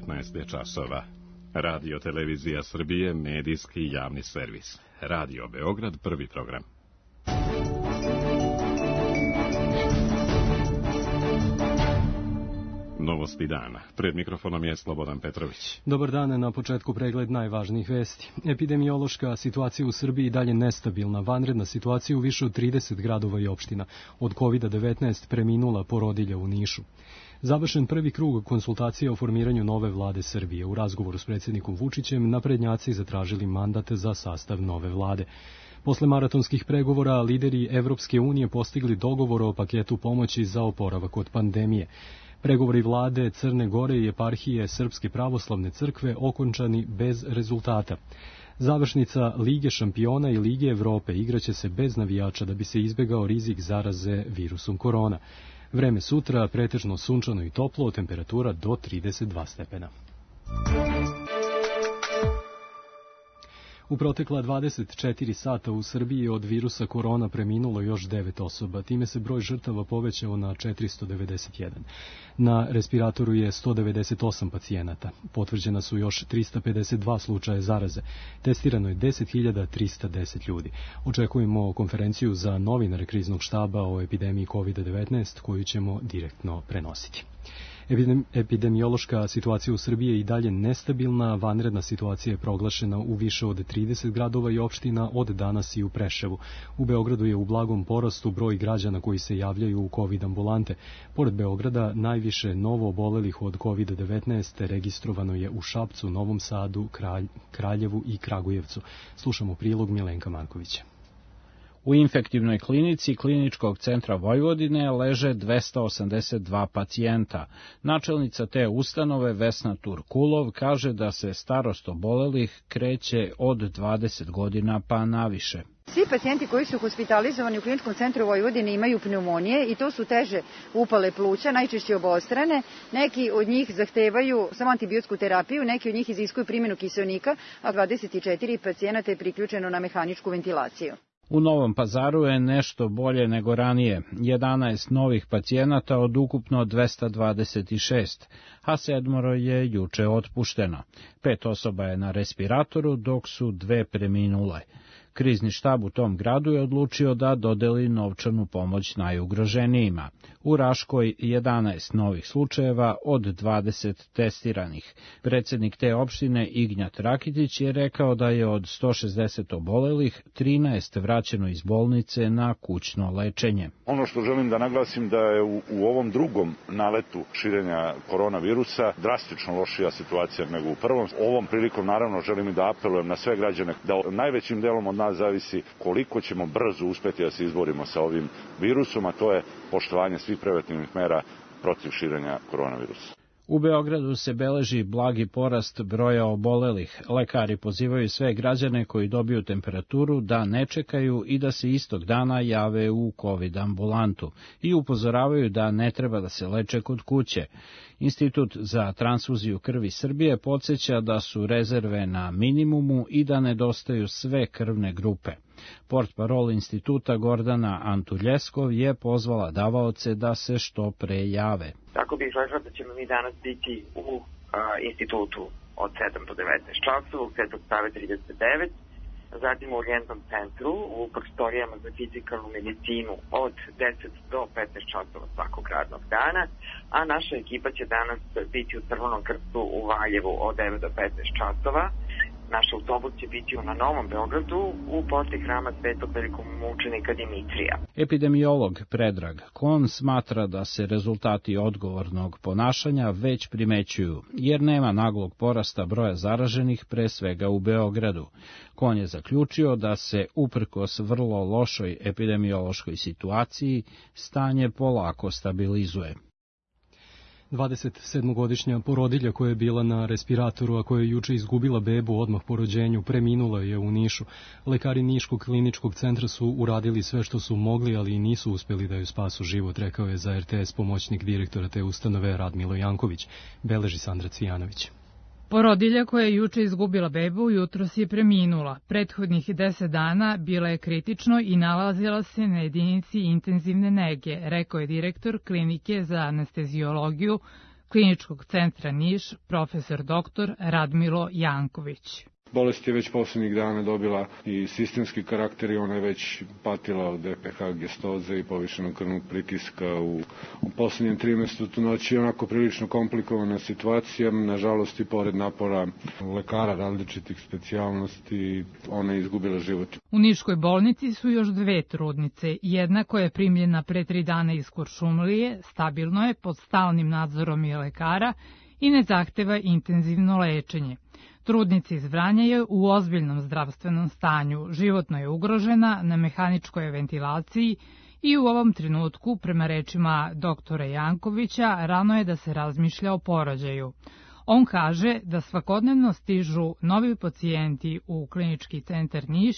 19 je časova. Radio Televizija Srbije, medijski javni servis. Radio Beograd, prvi program. Novosti dana. Pred mikrofonom je Slobodan Petrović. Dobar dan, na početku pregled najvažnijih vesti. Epidemiološka situacija u Srbiji i dalje nestabilna. Vanredna situacija u više od 30 gradova i opština. Od COVID-19 preminula porodilja u Nišu. Završen prvi krug konsultacija o formiranju nove vlade Srbije. U razgovoru s predsjednikom Vučićem naprednjaci zatražili mandat za sastav nove vlade. Posle maratonskih pregovora, lideri Evropske unije postigli dogovor o paketu pomoći za oporavak od pandemije. Pregovori vlade Crne Gore i eparhije Srpske pravoslavne crkve okončani bez rezultata. Završnica Lige šampiona i Lige Evrope igraće se bez navijača da bi se izbegao rizik zaraze virusom korona. Vreme sutra pretežno sunčano i toplo, temperatura do 32 stepena. U protekla 24 sata u Srbiji od virusa korona preminulo još 9 osoba. Time se broj žrtava povećao na 491. Na respiratoru je 198 pacijenata. Potvrđena su još 352 slučaja zaraze. Testirano je 10.310 ljudi. Očekujemo konferenciju za novinare kriznog štaba o epidemiji COVID-19 koju ćemo direktno prenositi. Epidemiološka situacija u Srbiji je i dalje nestabilna, vanredna situacija je proglašena u više od 30 gradova i opština od danas i u Preševu. U Beogradu je u blagom porastu broj građana koji se javljaju u COVID ambulante. Pored Beograda, najviše novo obolelih od COVID-19 registrovano je u Šapcu, Novom Sadu, Kraljevu i Kragujevcu. Slušamo prilog Milenka Markovića. U infektivnoj klinici Kliničkog centra Vojvodine leže 282 pacijenta. Načelnica te ustanove Vesna Turkulov kaže da se starost obolelih kreće od 20 godina pa naviše. Svi pacijenti koji su hospitalizovani u Kliničkom centru Vojvodine imaju pneumonije i to su teže upale pluća, najčešće obostrane. Neki od njih zahtevaju samo antibiotsku terapiju, neki od njih iziskuju primjenu kiseonika, a 24 pacijenata je priključeno na mehaničku ventilaciju. U Novom Pazaru je nešto bolje nego ranije, 11 novih pacijenata od ukupno 226, a 7 je juče otpušteno. 5 osoba je na respiratoru, dok su 2 preminule. Krizni štab u tom gradu je odlučio da dodeli novčanu pomoć najugroženijima. U Raškoj 11 novih slučajeva od 20 testiranih. Predsjednik te opštine Ignjat Rakitić je rekao da je od 160 obolelih 13 vraćeno iz bolnice na kućno lečenje. Ono što želim da naglasim da je u ovom drugom naletu širenja koronavirusa drastično lošija situacija nego u prvom. Ovom prilikom naravno želim i da apelujem na sve građane da najvećim delom od nas zavisi koliko ćemo brzo uspeti da se izborimo sa ovim virusom, a to je poštovanje svih preventivnih mera protiv širenja koronavirusa. U Beogradu se beleži blagi porast broja obolelih. Lekari pozivaju sve građane koji dobiju temperaturu da ne čekaju i da se istog dana jave u COVID ambulantu i upozoravaju da ne treba da se leče kod kuće. Institut za transfuziju krvi Srbije podsjeća da su rezerve na minimumu i da nedostaju sve krvne grupe. Portparol instituta Gordana Antuljeskov je pozvala davaoce da se što pre jave. Tako bih rekla da ćemo mi danas biti u institutu od 7 do 19 časova, u Svetog Save 39, zatim u urgentnom centru, u prostorijama za fizikalnu medicinu od 10 do 15 časova svakog radnog dana, a naša ekipa će danas biti u Crvenom krstu u Valjevu od 9 do 15 časova. Naš autobus će biti na Novom Beogradu u posle hrama Svetog velikomučenika Dimitrija. Epidemiolog Predrag Kon smatra da se rezultati odgovornog ponašanja već primećuju, jer nema naglog porasta broja zaraženih, pre svega u Beogradu. Kon je zaključio da se, uprkos vrlo lošoj epidemiološkoj situaciji, stanje polako stabilizuje. 27-godišnja porodilja koja je bila na respiratoru, a koja je juče izgubila bebu odmah po rođenju, preminula je u Nišu. Lekari Niškog kliničkog centra su uradili sve što su mogli, ali i nisu uspeli da joj spasu život, rekao je za RTS pomoćnik direktora te ustanove Radmilo Janković, beleži Sandra Cvijanović. Porodilja koja je juče izgubila bebu jutros je preminula. Prethodnih 10 dana bila je kritično i nalazila se na jedinici intenzivne nege, rekao je direktor klinike za anesteziologiju Kliničkog centra Niš, profesor dr. Radmilo Janković. Bolest je već posljednjih dana dobila i sistemski karakter i ona je već patila od EPH gestoze i povišenog krvnog pritiska u posljednjem trimestru trudnoće. Je onako prilično komplikovana situacija, nažalost i pored napora lekara različitih specijalnosti, ona je izgubila život. U Niškoj bolnici su još 2 trudnice, jedna koja je primljena pre 3 dana iz Kuršumlije, stabilno je, pod stalnim nadzorom i lekara i ne zahteva intenzivno lečenje. Trudnica iz Vranja je u ozbiljnom zdravstvenom stanju, životno je ugrožena, na mehaničkoj ventilaciji i u ovom trenutku, prema rečima doktora Jankovića, rano je da se razmišlja o porođaju. On kaže da svakodnevno stižu novi pacijenti u Klinički centar Niš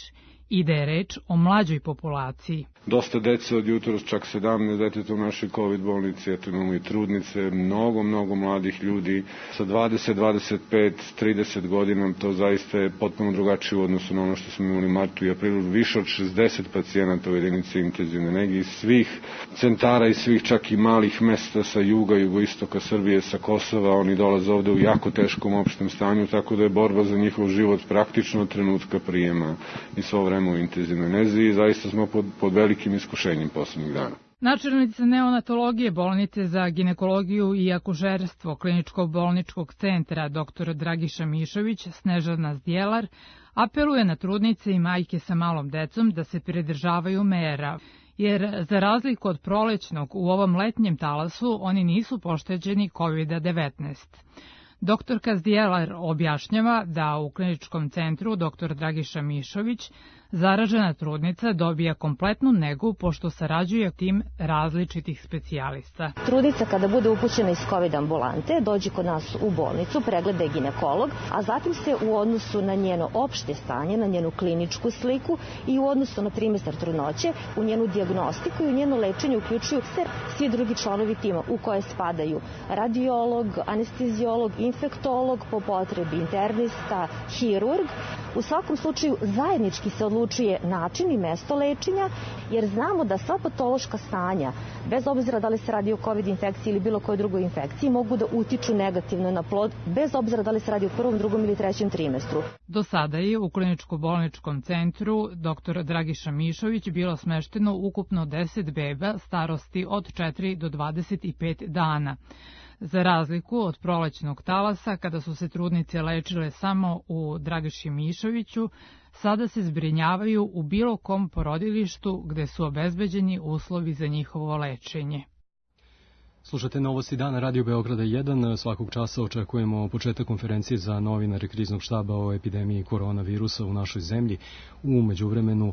i da je reč o mlađoj populaciji. Dosta dece od jutros, čak 17 deteta u našoj COVID bolnici, eto imamo i trudnice, mnogo mladih ljudi sa 20, 25, 30 godina, to zaista je potpuno drugačije u odnosu na ono što smo imali u martu i aprilu, više od 60 pacijenata u jedinici intenzivne nege iz svih centara i svih čak i malih mesta sa juga, jugoistoka Srbije, sa Kosova, oni dolaze ovde u jako teškom opštem stanju, tako da je borba za njihov život praktično od trenutka prijema i svo vreme u intenzivnoj nezi i zaista smo pod velikim iskušenjem poslednjih dana. Načelnica neonatologije bolnice za ginekologiju i akušerstvo Kliničkog bolničkog centra dr. Dragiša Mišović, Snežana Zdjelar, apeluje na trudnice i majke sa malom decom da se pridržavaju mera, jer za razliku od prolećnog u ovom letnjem talasu oni nisu pošteđeni COVID-19. Doktorka Zdjelar objašnjava da u kliničkom centru dr. Dragiša Mišović zaražena trudnica dobija kompletnu negu pošto sarađuje tim različitih specijalista. Trudnica kada bude upućena iz COVID ambulante dođe kod nas u bolnicu, pregleda je ginekolog, a zatim se u odnosu na njeno opšte stanje, na njenu kliničku sliku i u odnosu na trimestar trudnoće, u njenu dijagnostiku i u njeno lečenje uključuju se svi drugi članovi tima u koje spadaju radiolog, anesteziolog, infektolog, po potrebi internista, hirurg. U svakom slučaju zajednički se odlučuje način i mesto lečenja, jer znamo da sva patološka stanja, bez obzira da li se radi o COVID infekciji ili bilo kojoj drugoj infekciji, mogu da utiču negativno na plod, bez obzira da li se radi o prvom, drugom ili trećem trimestru. Do sada je u Kliničko-bolničkom centru dr. Dragiša Mišović bilo smešteno ukupno 10 beba starosti od 4 do 25 dana. Za razliku od prolećnog talasa, kada su se trudnice lečile samo u Dragiši Mišoviću, sada se zbrinjavaju u bilo kom porodilištu gde su obezbeđeni uslovi za njihovo lečenje. Slušate Novosti dana Radio Beograda 1. Svakog časa očekujemo početak konferencije za novinare kriznog štaba o epidemiji koronavirusa u našoj zemlji. U međuvremenu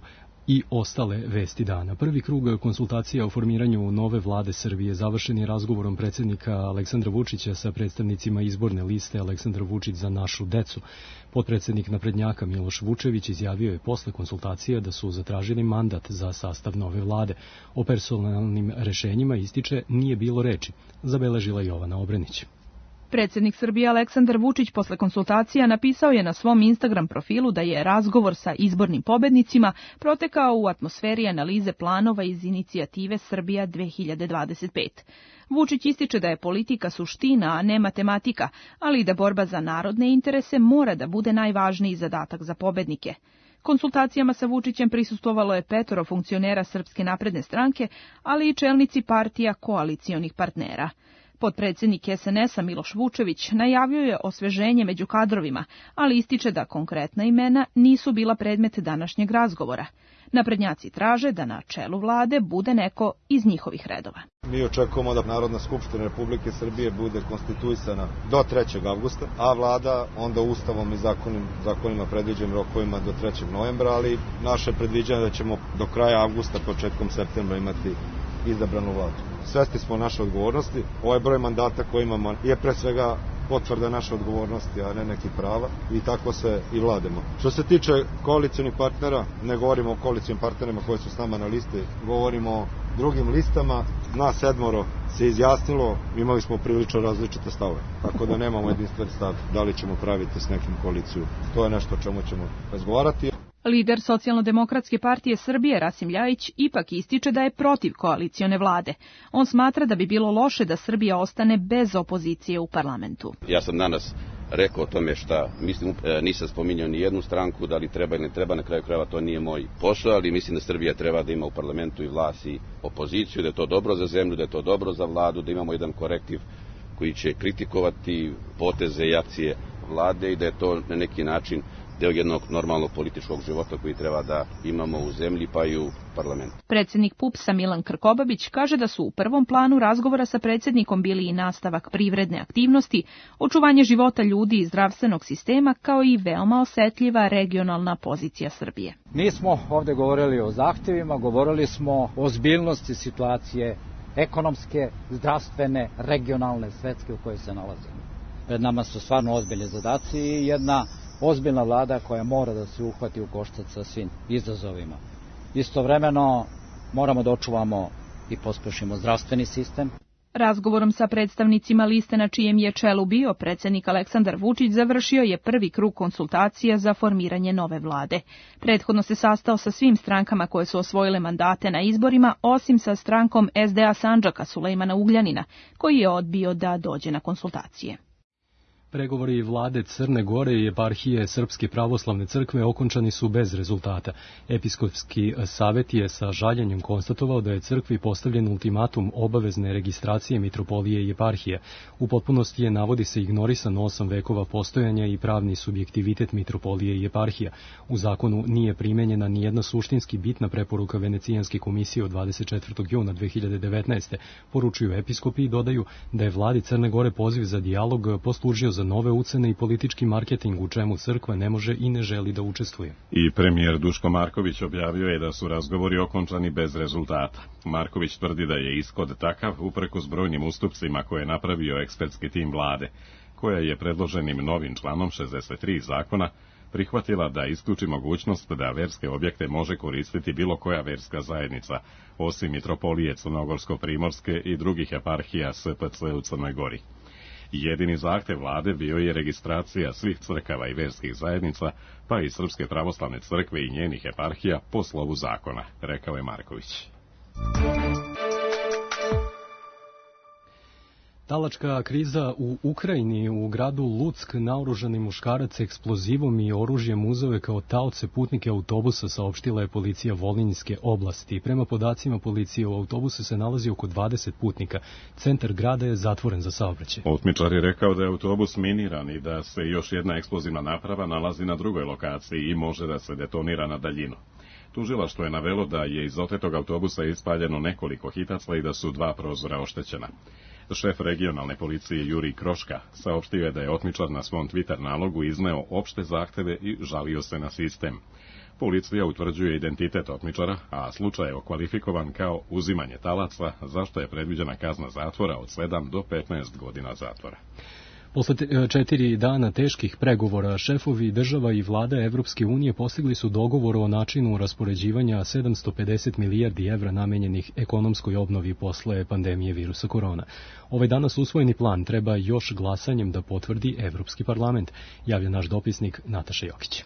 i ostale vesti dana. Prvi krug konsultacija o formiranju nove vlade Srbije završen je razgovorom predsjednika Aleksandra Vučića sa predstavnicima izborne liste Aleksandar Vučić za našu decu. Potpredsjednik naprednjaka Miloš Vučević izjavio je posle konsultacija da su zatražili mandat za sastav nove vlade. O personalnim rešenjima, ističe, nije bilo reči, zabeležila Jovana Obrenić. Predsjednik Srbije Aleksandar Vučić posle konsultacija napisao je na svom Instagram profilu da je razgovor sa izbornim pobednicima protekao u atmosferi analize planova iz inicijative Srbija 2025. Vučić ističe da je politika suština, a ne matematika, ali i da borba za narodne interese mora da bude najvažniji zadatak za pobednike. Konsultacijama sa Vučićem prisustvovalo je 5 funkcionera Srpske napredne stranke, ali i čelnici partija koalicionih partnera. Potpredsjednik SNS-a Miloš Vučević najavio je osveženje među kadrovima, ali ističe da konkretna imena nisu bila predmet današnjeg razgovora. Naprednjaci traže da na čelu vlade bude neko iz njihovih redova. Mi očekujemo da Narodna skupština Republike Srbije bude konstituisana do 3. avgusta, a vlada onda ustavom i zakonima predviđenim rokovima do 3. novembra, ali naše predviđanje da ćemo do kraja avgusta, početkom septembra imati izabranu vladu. Svesni smo naše odgovornosti. Ovaj broj mandata koji imamo je pre svega potvrda naše odgovornosti, a ne neki prava, i tako se i vlademo. Što se tiče koalicionih partnera, ne govorimo o koalicionim partnerima koji su s nama na listi, govorimo o drugim listama. Nas 7 se izjasnilo, imali smo prilično različite stavove, tako da nemamo jedinstven stav da li ćemo praviti s nekim koaliciju. To je nešto o čemu ćemo razgovarati. Lider Socijalno-demokratske partije Srbije Rasim Ljajić ipak ističe da je protiv koalicione vlade. On smatra da bi bilo loše da Srbija ostane bez opozicije u parlamentu. Ja sam danas rekao o tome šta mislim, nisam spominjao ni jednu stranku, da li treba ili ne treba, na kraju krajeva to nije moj posao, ali mislim da Srbija treba da ima u parlamentu i vlast i opoziciju, da je to dobro za zemlju, da je to dobro za vladu, da imamo jedan korektiv koji će kritikovati poteze i akcije vlade i da je to na neki način deo jednog normalnog političkog života koji treba da imamo u zemlji pa i u parlamentu. Predsjednik PUPS-a Milan Krkobabić kaže da su u prvom planu razgovora sa predsjednikom bili i nastavak privredne aktivnosti, očuvanje života ljudi i zdravstvenog sistema, kao i veoma osetljiva regionalna pozicija Srbije. Nismo ovde govorili o zahtjevima, govorili smo o ozbiljnosti situacije ekonomske, zdravstvene, regionalne, svetske u kojoj se nalazimo. Pred nama su stvarno ozbiljni zadaci i jedna ozbiljna vlada koja mora da se uhvati u koštac sa svim izazovima. Istovremeno moramo da očuvamo i pospešimo zdravstveni sistem. Razgovorom sa predstavnicima liste na čijem je čelu bio predsjednik Aleksandar Vučić završio je prvi krug konsultacija za formiranje nove vlade. Prethodno se sastao sa svim strankama koje su osvojile mandate na izborima, osim sa strankom SDA Sandžaka Sulejmana Ugljanina, koji je odbio da dođe na konsultacije. Pregovori vlade Crne Gore i eparhije Srpske pravoslavne crkve okončani su bez rezultata. Episkopski savet je sa žaljenjem konstatovao da je crkvi postavljen ultimatum obavezne registracije mitropolije i eparhije. U potpunosti je, navodi se, ignorisan 8 vekova postojanja i pravni subjektivitet mitropolije i eparhija. U zakonu nije primenjena ni jedna suštinski bitna preporuka Venecijanske komisije od 24. juna 2019. Poručuju episkopi i dodaju da je vladi Crne Gore poziv za dijalog poslužio za nove ucene i politički marketing u čemu crkva ne može i ne želi da učestvuje. I premijer Duško Marković objavio je da su razgovori okončani bez rezultata. Marković tvrdi da je ishod takav uprkos brojnim ustupcima koje je napravio ekspertski tim vlade, koja je predloženim novim članom 63 zakona prihvatila da isključi mogućnost da verske objekte može koristiti bilo koja verska zajednica, osim mitropolije Crnogorsko-Primorske i drugih eparhija SPC u Crnoj Gori. Jedini zahtev vlade bio je registracija svih crkava i verskih zajednica, pa i Srpske pravoslavne crkve i njenih eparhija po slovu zakona, rekao je Marković. Talačka kriza u Ukrajini. U gradu Luck naoružani muškarac eksplozivom i oružjem uzeo kao taoce putnike autobusa, saopštila je policija Volinjske oblasti. Prema podacima policije, u autobusu se nalazi oko 20 putnika. Centar grada je zatvoren za saobraćaj. Otmičar je rekao da je autobus miniran i da se još jedna eksplozivna naprava nalazi na drugoj lokaciji i može da se detonira na daljinu. Tužilaštvo je navelo da je iz otetog autobusa ispaljeno nekoliko hitacla i da su 2 prozora oštećena. Šef regionalne policije Jurij Kroška saopštio je da je otmičar na svom Twitter nalogu izneo opšte zahteve i žalio se na sistem. Policija utvrđuje identitet otmičara, a slučaj je okvalifikovan kao uzimanje talaca, za što je predviđena kazna zatvora od 7 do 15 godina zatvora. Posle 4 dana teških pregovora, šefovi država i vlada Evropske unije postigli su dogovor o načinu raspoređivanja 750 milijardi evra namenjenih ekonomskoj obnovi posle pandemije virusa korona. Ovaj danas usvojeni plan treba još glasanjem da potvrdi Evropski parlament, javlja naš dopisnik Nataša Jokić.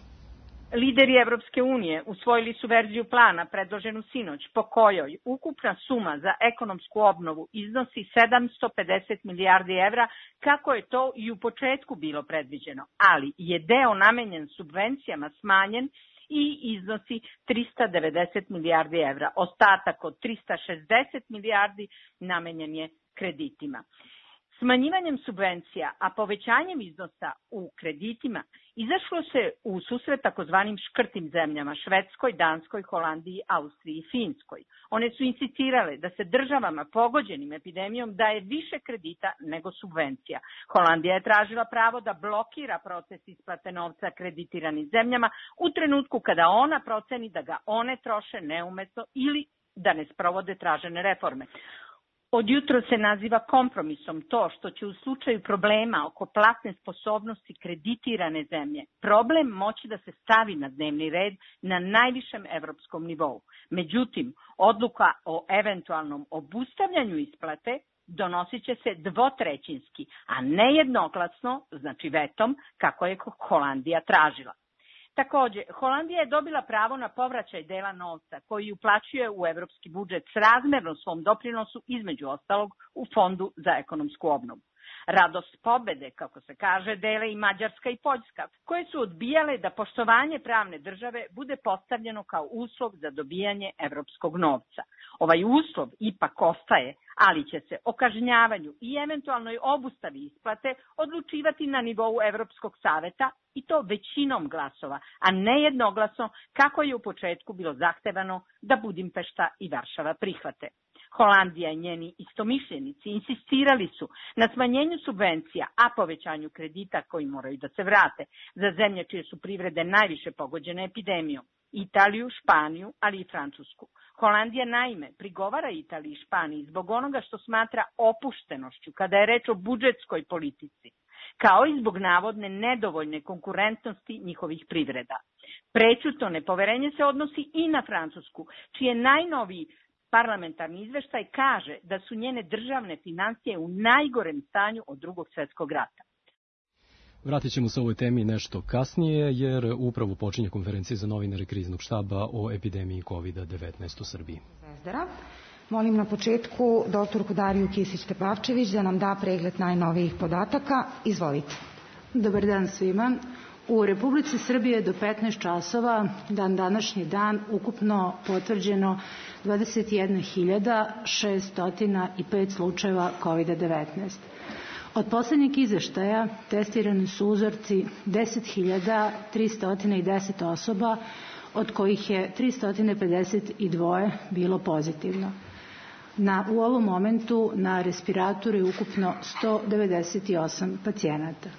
Lideri Evropske unije usvojili su verziju plana predloženu sinoć, po kojoj ukupna suma za ekonomsku obnovu iznosi 750 milijardi evra, kako je to i u početku bilo predviđeno, ali je deo namenjen subvencijama smanjen i iznosi 390 milijardi evra. Ostatak od 360 milijardi namenjen je kreditima. Smanjivanjem subvencija, a povećanjem iznosa u kreditima, izašlo se u susret takozvanim škrtim zemljama, Švedskoj, Danskoj, Holandiji, Austriji i Finskoj. One su insistirale da se državama pogođenim epidemijom daje više kredita nego subvencija. Holandija je tražila pravo da blokira proces isplate novca kreditiranim zemljama u trenutku kada ona proceni da ga one troše neumetno ili da ne sprovode tražene reforme. Od jutro se naziva kompromisom to što će u slučaju problema oko platne sposobnosti kreditirane zemlje problem moći da se stavi na dnevni red na najvišem evropskom nivou. Međutim, odluka o eventualnom obustavljanju isplate donosit će se dvotrećinski, a ne jednoglasno, znači vetom, kako je Holandija tražila. Takođe, Holandija je dobila pravo na povraćaj dela novca koji uplaćuje u evropski budžet srazmerno svom doprinosu, između ostalog u Fondu za ekonomsku obnovu. Radost pobede, kako se kaže, dele i Mađarska i Poljska, koje su odbijale da poštovanje pravne države bude postavljeno kao uslov za dobijanje evropskog novca. Ovaj uslov ipak ostaje, ali će se o kažnjavanju i eventualnoj obustavi isplate odlučivati na nivou Evropskog saveta, i to većinom glasova, a ne jednoglasno kako je u početku bilo zahtevano da Budimpešta i Varšava prihvate. Holandija i njeni istomišljenici insistirali su na smanjenju subvencija, a povećanju kredita koji moraju da se vrate za zemlje čije su privrede najviše pogođene epidemijom, Italiju, Španiju, ali i Francusku. Holandija naime prigovara Italiji i Španiji zbog onoga što smatra opuštenošću kada je reč o budžetskoj politici, kao i zbog navodne nedovoljne konkurentnosti njihovih privreda. Prećutno nepoverenje se odnosi i na Francusku, čije najnoviji parlamentarni izveštaj kaže da su njene državne finansije u najgorem stanju od Drugog svjetskog rata. Vratit ćemo se ovoj temi nešto kasnije, jer upravo počinje konferencija za novinare Kriznog štaba o epidemiji COVID-19 u Srbiji. Zvezdara. Molim na početku doktorku Dariju Kisić-Tepavčević da nam da pregled najnovijih podataka. Izvolite. Dobar dan svima. U Republici Srbije do 15 časova, današnji dan, ukupno potvrđeno 21.605 slučajeva COVID-19. Od poslednjeg izveštaja testirani su uzorci 10.310 osoba, od kojih je 352 bilo pozitivno. U ovom momentu na respiratoru je ukupno 198 pacijenata.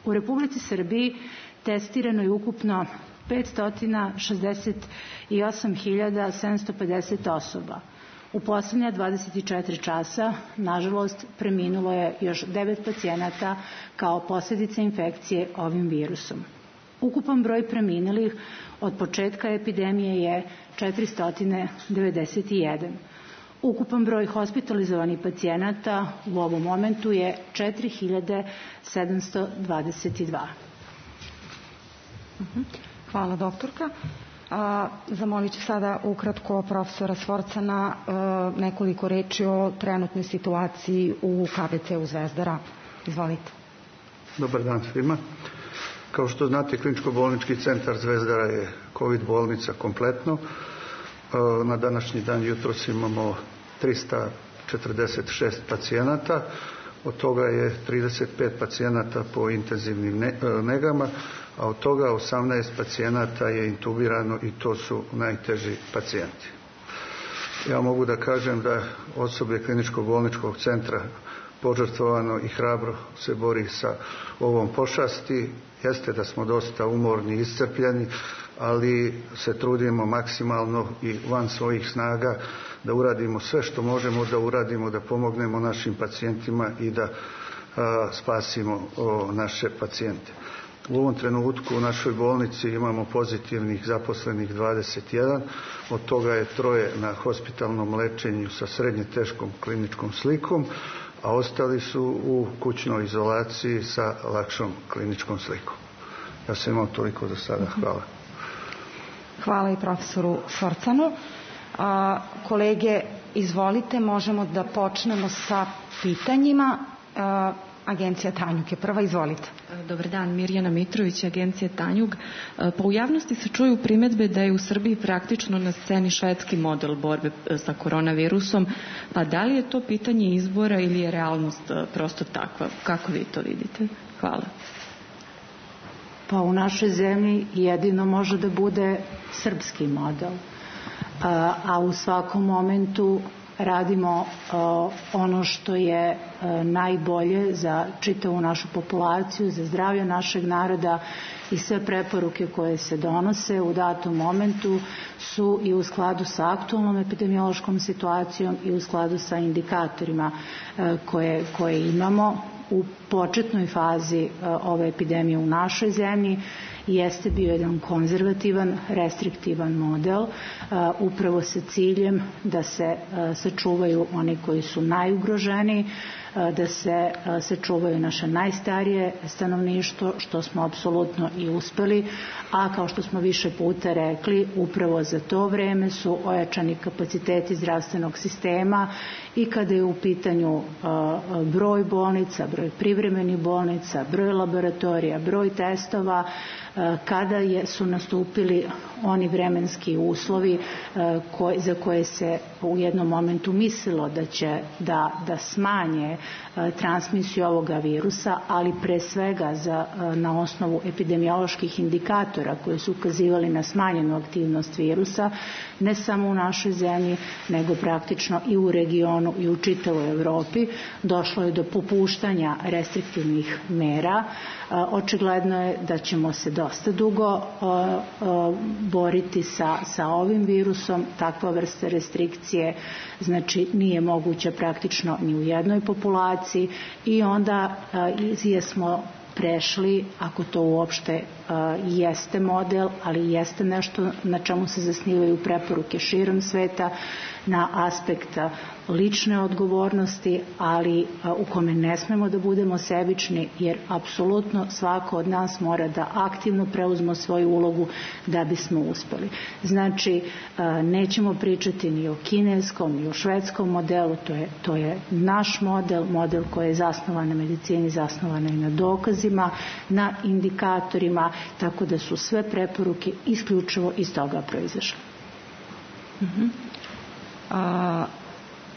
U Republici Srbiji testirano je ukupno 568.750 osoba. U poslednja 24 časa, nažalost, preminulo je još 9 pacijenata kao posljedica infekcije ovim virusom. Ukupan broj preminulih od početka epidemije je 491. Ukupan broj hospitalizovanih pacijenata u ovom momentu je 4.722. Hvala, doktorka. Zamolit ću sada ukratko profesora Sforcana nekoliko reči o trenutnoj situaciji u KBC-u Zvezdara. Izvolite. Dobar dan svima. Kao što znate, Kliničko-bolnički centar Zvezdara je COVID bolnica kompletno. Na današnji dan jutros imamo 346 pacijenata, od toga je 35 pacijenata po intenzivnim negama, a od toga 18 pacijenata je intubirano i to su najteži pacijenti. Ja mogu da kažem da osoblje Kliničko-bolničkog centra požrtvovano i hrabro se bori sa ovom pošasti. Jeste da smo dosta umorni i iscrpljeni, ali se trudimo maksimalno i van svojih snaga da uradimo sve što možemo da uradimo, da pomognemo našim pacijentima i da spasimo naše pacijente. U ovom trenutku u našoj bolnici imamo pozitivnih zaposlenih 21, od toga je 3 na hospitalnom lečenju sa srednje teškom kliničkom slikom, a ostali su u kućnoj izolaciji sa lakšom kliničkom slikom. Ja sam imao toliko do sada. Hvala. Hvala i profesoru Sforcanu. Kolege, izvolite, možemo da počnemo sa pitanjima. Agencija Tanjug je prva, izvolite. Dobar dan, Mirjana Mitrović, Agencija Tanjug. Pa u javnosti se čuju primedbe da je u Srbiji praktično na sceni švedski model borbe sa koronavirusom, pa da li je to pitanje izbora ili je realnost prosto takva? Kako vi to vidite? Hvala. Pa u našoj zemlji jedino može da bude srpski model, a u svakom momentu radimo ono što je najbolje za čitavu našu populaciju, za zdravlje našeg naroda, i sve preporuke koje se donose u datom momentu su i u skladu sa aktualnom epidemiološkom situacijom i u skladu sa indikatorima koje imamo u početnoj fazi ove epidemije u našoj zemlji jeste bio jedan konzervativan, restriktivan model, upravo sa ciljem da se sačuvaju oni koji su najugroženiji, da se sačuvaju naše najstarije stanovništvo, što smo apsolutno i uspeli, a kao što smo više puta rekli, upravo za to vreme su ojačani kapaciteti zdravstvenog sistema i kada je u pitanju broj bolnica, broj privremenih bolnica, broj laboratorija, broj testova, kada su nastupili oni vremenski uslovi za koje se u jednom momentu mislilo da će da smanje transmisiju ovoga virusa, ali pre svega na osnovu epidemioloških indikatora koji su ukazivali na smanjenu aktivnost virusa, ne samo u našoj zemlji, nego praktično i u regionu i u čitavoj Evropi, došlo je do popuštanja restriktivnih mera. Očigledno je da ćemo se dosta dugo boriti sa ovim virusom. Takva vrsta restrikcije znači nije moguća praktično ni u jednoj populaciji i onda jesmo prešli, ako to uopšte jeste model, ali jeste nešto na čemu se zasnivaju preporuke širom sveta, na aspekt lične odgovornosti, ali u kome ne smemo da budemo sebični, jer apsolutno svako od nas mora da aktivno preuzme svoju ulogu da bismo uspeli. Znači, nećemo pričati ni o kineskom, ni o švedskom modelu, to je naš model koji je zasnovan na medicini, zasnovan i na dokazima, na indikatorima, tako da su sve preporuke isključivo iz toga proizašle.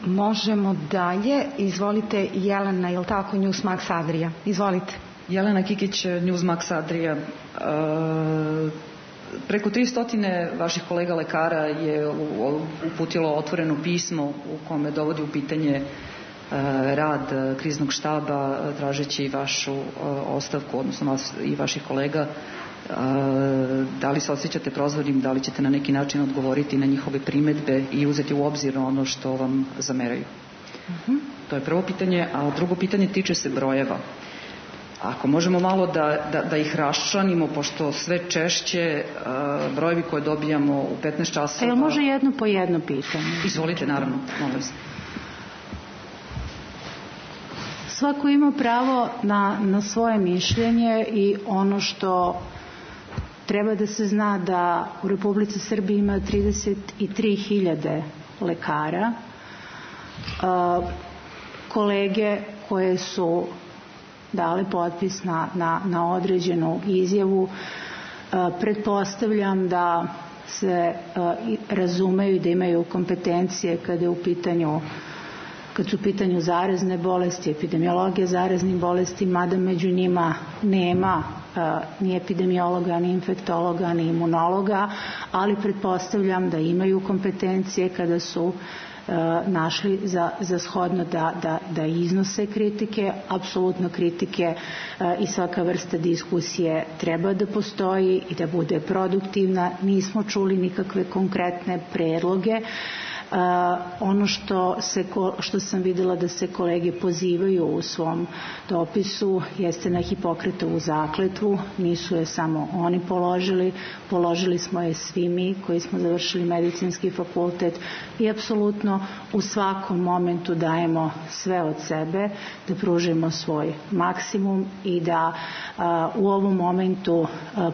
Možemo dalje. Izvolite, Jelena, je li tako, Newsmax Adria? Izvolite. Jelena Kikić, Newsmax Adria. Preko 300 vaših kolega lekara je uputilo otvoreno pismo u kome dovodi u pitanje rad kriznog štaba, tražeći vašu ostavku, odnosno vas i vaših kolega. Da li se osjećate prozvanim, da li ćete na neki način odgovoriti na njihove primedbe i uzeti u obzir ono što vam zameraju? To je prvo pitanje, a drugo pitanje tiče se brojeva. Ako možemo malo da ih raščlanimo, pošto sve češće brojevi koje dobijamo u 15 časova... Može jedno po jedno pitanje? Izvolite, naravno, molim se. Svako ima pravo na svoje mišljenje i ono što treba da se zna da u Republici Srbiji ima 33.000 lekara. Kolege koje su dale potpis na određenu izjavu, pretpostavljam da se razumeju i da imaju kompetencije kada su u pitanju zarazne bolesti, epidemiologija zaraznih bolesti, mada među njima nema ni epidemiologa, ni infektologa, ni imunologa, ali pretpostavljam da imaju kompetencije kada su našli za shodno da iznose kritike, apsolutno kritike i svaka vrsta diskusije treba da postoji i da bude produktivna. Nismo čuli nikakve konkretne predloge. Ono što sam videla da se kolege pozivaju u svom dopisu jeste na Hipokratovu zakletvu. Nisu je samo oni položili smo je svi mi koji smo završili medicinski fakultet i apsolutno u svakom momentu dajemo sve od sebe da pružimo svoj maksimum i da u ovom momentu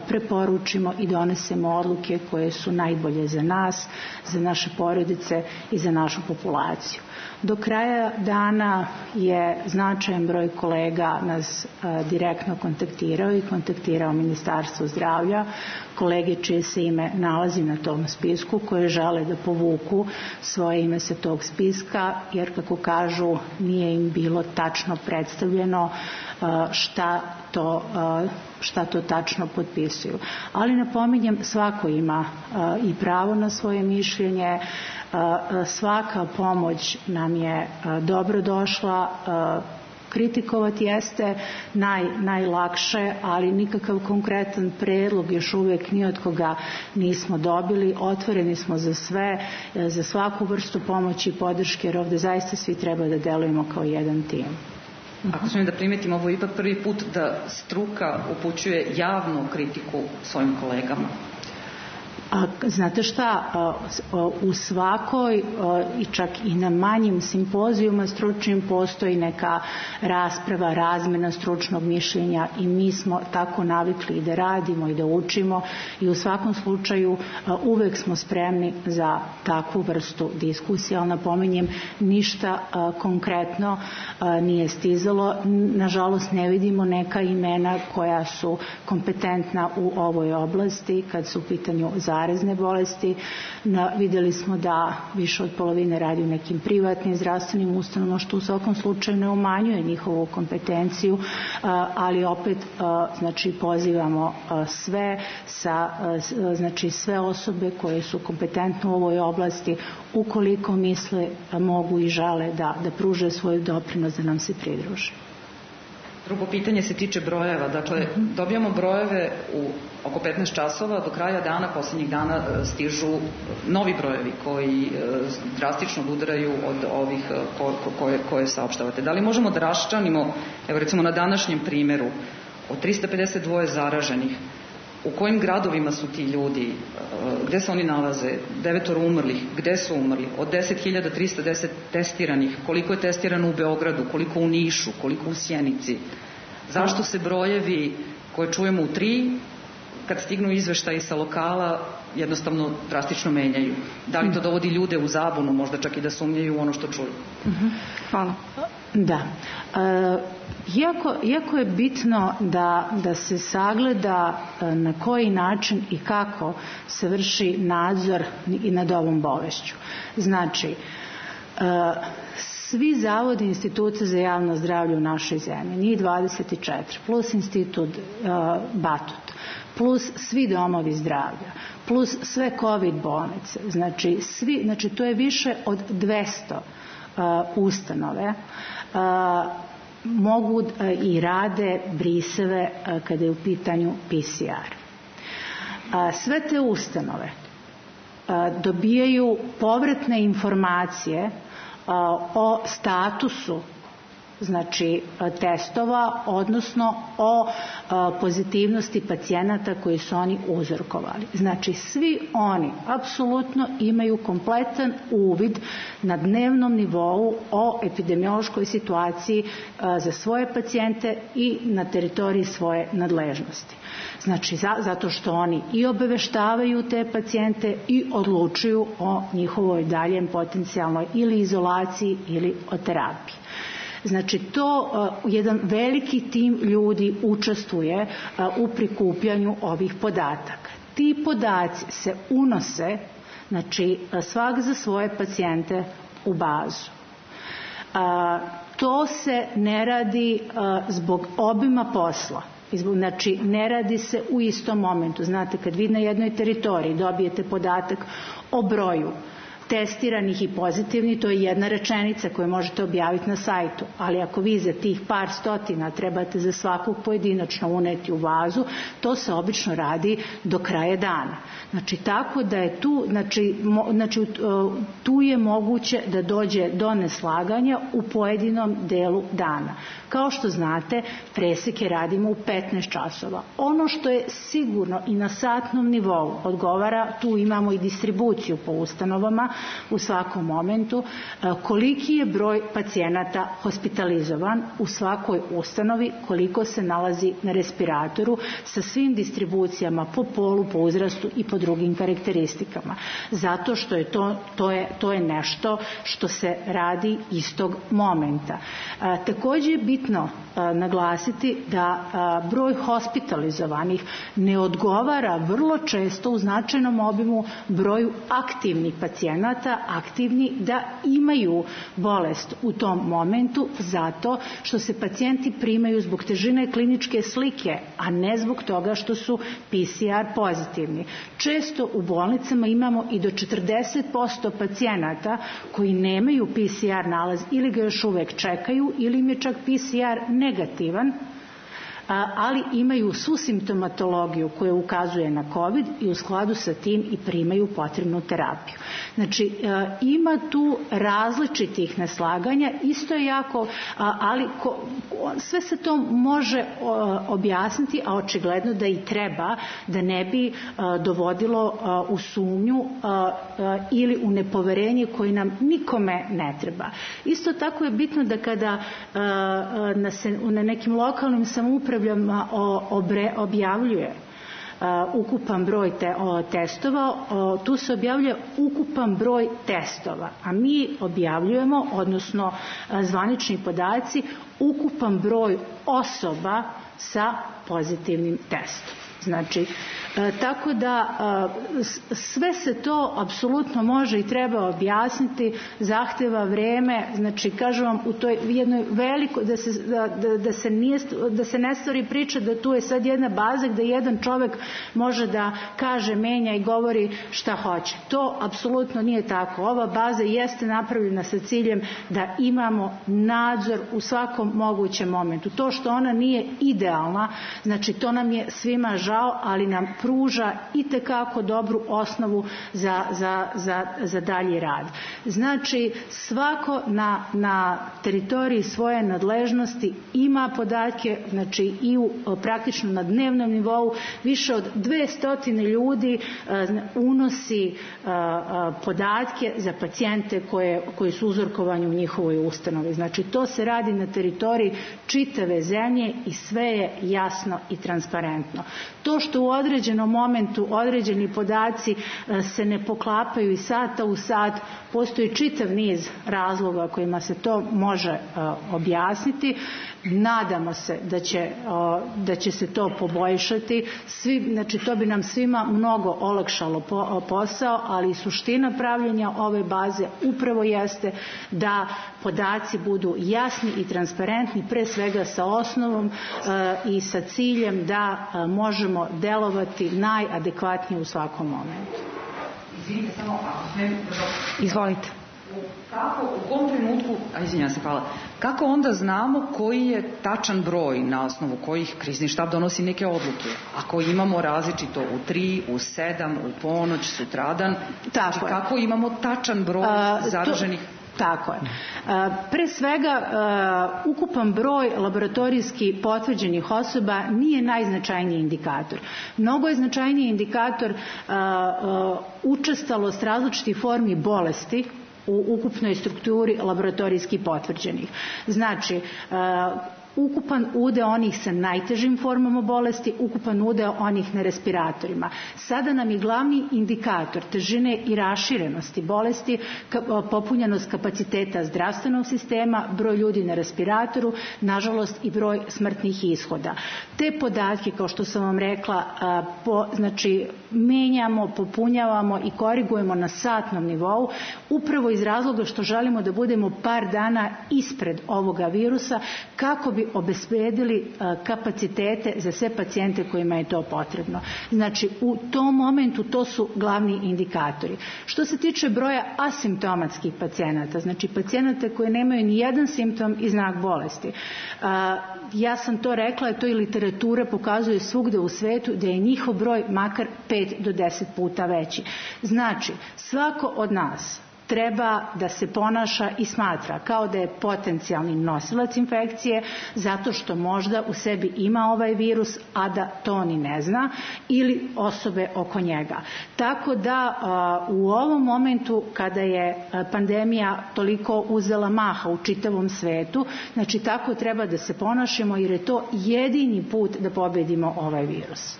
preporučimo i donesemo odluke koje su najbolje za nas, za naše porodice i za našu populaciju. Do kraja dana je značajan broj kolega nas direktno kontaktirao i kontaktirao Ministarstvo zdravlja, kolege čije se ime nalazi na tom spisku, koje žele da povuku svoje ime sa tog spiska, jer kako kažu nije im bilo tačno predstavljeno šta to tačno potpisuju. Ali napominjem, svako ima i pravo na svoje mišljenje, svaka pomoć nam je dobro došla, kritikovati jeste najlakše, ali nikakav konkretan predlog još uvijek ni od koga nismo dobili. Otvoreni smo za sve, za svaku vrstu pomoći i podrške, jer ovde zaista svi treba da delujemo kao jedan tim. Ako smijem da primetim, ovo je ipak prvi put da struka upućuje javnu kritiku svojim kolegama. Znate šta, u svakoj i čak i na manjim simpozijuma stručnim postoji neka rasprava, razmena stručnog mišljenja i mi smo tako navikli da radimo i da učimo i u svakom slučaju uvek smo spremni za takvu vrstu diskusije, ali napominjem ništa konkretno nije stizalo. Nažalost ne vidimo neka imena koja su kompetentna u ovoj oblasti kad su u pitanju zarazne bolesti. Videli smo da više od polovine radi u nekim privatnim zdravstvenim ustanovama, što u svakom slučaju ne umanjuje njihovu kompetenciju, ali opet znači pozivamo sve osobe koje su kompetentne u ovoj oblasti, ukoliko misle, mogu i žele da pruže svoj doprinos da nam se pridruže. Drugo pitanje se tiče brojeva. Dakle, dobijamo brojeve u oko 15 časova, do kraja dana, posljednjih dana stižu novi brojevi koji drastično udaraju od ovih koje saopštavate. Da li možemo da raščlanimo, evo recimo na današnjem primjeru, od 352 zaraženih, u kojim gradovima su ti ljudi, gde se oni nalaze, 9 umrlih, gde su umrli, od 10.310 testiranih, koliko je testirano u Beogradu, koliko u Nišu, koliko u Sjenici. Zašto se brojevi koje čujemo u 3, kad stignu izveštaji sa lokala, jednostavno drastično menjaju? Da li to dovodi ljude u zabunu, možda čak i da sumnjaju u ono što čuju? Hvala. Da. Iako je bitno da se sagleda na koji način i kako se vrši nadzor i nad ovom bolešću. Znači, svi zavodi institucije za javno zdravlje u našoj zemlji, njih 24, plus institut Batut, plus svi domovi zdravlja, plus sve COVID bolnice, znači to je više od 200 ustanove, mogu i rade briseve kada je u pitanju PCR. Sve te ustanove dobijaju povratne informacije o statusu testova, odnosno o pozitivnosti pacijenata koji su oni uzorkovali. Znači, svi oni apsolutno imaju kompletan uvid na dnevnom nivou o epidemiološkoj situaciji za svoje pacijente i na teritoriji svoje nadležnosti. Znači, zato što oni i obaveštavaju te pacijente i odlučuju o njihovoj daljem potencijalnoj ili izolaciji ili o terapiji. Znači, to jedan veliki tim ljudi učestvuje u prikupljanju ovih podataka. Ti podaci se unose, znači, svak za svoje pacijente u bazu. To se ne radi zbog obima posla. Znači, ne radi se u istom momentu. Znate, kad vi na jednoj teritoriji dobijete podatak o broju testiranih i pozitivnih, to je jedna rečenica koju možete objaviti na sajtu, ali ako vi za tih par stotina trebate za svakog pojedinačno uneti u bazu, to se obično radi do kraja dana. Znači, tako da je tu je moguće da dođe do neslaganja u pojedinom delu dana. Kao što znate, preseke radimo u 15 časova. Ono što je sigurno i na satnom nivou odgovara, tu imamo i distribuciju po ustanovama u svakom momentu, koliki je broj pacijenata hospitalizovan u svakoj ustanovi, koliko se nalazi na respiratoru, sa svim distribucijama po polu, po uzrastu i po drugim karakteristikama. Zato što je to je nešto što se radi istog momenta. Također je bitno naglasiti da broj hospitalizovanih ne odgovara vrlo često u značajnom obimu broju aktivnih pacijenata, aktivni da imaju bolest u tom momentu, zato što se pacijenti primaju zbog težine kliničke slike, a ne zbog toga što su PCR pozitivni. Često u bolnicama imamo i do 40% pacijenata koji nemaju PCR nalaz ili ga još uvek čekaju ili im je čak PCR negativan, ali imaju svu simptomatologiju koja ukazuje na COVID i u skladu sa tim i primaju potrebnu terapiju. Znači, ima tu različitih neslaganja, isto je jako, ali sve se to može objasniti, a očigledno da i treba, da ne bi dovodilo u sumnju ili u nepoverenje koje nam nikome ne treba. Isto tako je bitno da kada na nekim lokalnim samoupravama objavljuje ukupan broj testova, tu se objavljuje ukupan broj testova, a mi objavljujemo, odnosno zvanični podaci, ukupan broj osoba sa pozitivnim testom. Znači, tako da sve se to apsolutno može i treba objasniti, zahteva vreme, znači kažem vam u toj jednoj velikoj, da se ne stvori priča da tu je sad jedna baza gde jedan čovek može da kaže, menja i govori šta hoće. To apsolutno nije tako. Ova baza jeste napravljena sa ciljem da imamo nadzor u svakom mogućem momentu. To što ona nije idealna, znači to nam je svima žao, ali nam pruža itekako dobru osnovu za dalji rad. Znači, svako na teritoriji svoje nadležnosti ima podatke, znači i praktično na dnevnom nivou više od 200 ljudi unosi podatke za pacijente koji su uzorkovani u njihovoj ustanovi. Znači, to se radi na teritoriji čitave zemlje i sve je jasno i transparentno. To što u određenom momentu određeni podaci se ne poklapaju iz sata u sat, postoji čitav niz razloga kojima se to može objasniti. Nadamo se da će se to poboljšati. Znači, to bi nam svima mnogo olakšalo posao, ali i suština pravljenja ove baze upravo jeste da podaci budu jasni i transparentni, pre svega sa osnovom i sa ciljem da možemo delovati najadekvatnije u svakom momentu. Izvinite, samo Izvolite. U kom trenutku, kako onda znamo koji je tačan broj na osnovu kojih krizni štab donosi neke odluke? Ako imamo različito u 3, u 7, u ponoć, sutradan, znači kako imamo tačan broj zaraženih? Tako je. Pre svega, ukupan broj laboratorijski potvrđenih osoba nije najznačajniji indikator. Mnogo je značajniji indikator učestalost različitih formi bolesti u ukupnoj strukturi laboratorijski potvrđenih. Znači, ukupan udeo onih sa najtežim formama bolesti, ukupan udeo onih na respiratorima. Sada nam je glavni indikator težine i raširenosti bolesti popunjenost kapaciteta zdravstvenog sistema, broj ljudi na respiratoru, nažalost i broj smrtnih ishoda. Te podatke, kao što sam vam rekla, znači menjamo, popunjavamo i korigujemo na satnom nivou, upravo iz razloga što želimo da budemo par dana ispred ovoga virusa, kako bi obezbedili kapacitete za sve pacijente kojima je to potrebno. Znači, u tom momentu to su glavni indikatori. Što se tiče broja asimptomatskih pacijenata, znači pacijenata koji nemaju ni jedan simptom i znak bolesti, ja sam to rekla, to i literatura pokazuje svugde u svetu da je njihov broj makar 5 do 10 puta veći. Znači, svako od nas treba da se ponaša i smatra kao da je potencijalni nosilac infekcije zato što možda u sebi ima ovaj virus, a da to ni ne zna, ili osobe oko njega. Tako da u ovom momentu kada je pandemija toliko uzela maha u čitavom svetu, znači tako treba da se ponašamo jer je to jedini put da pobedimo ovaj virus.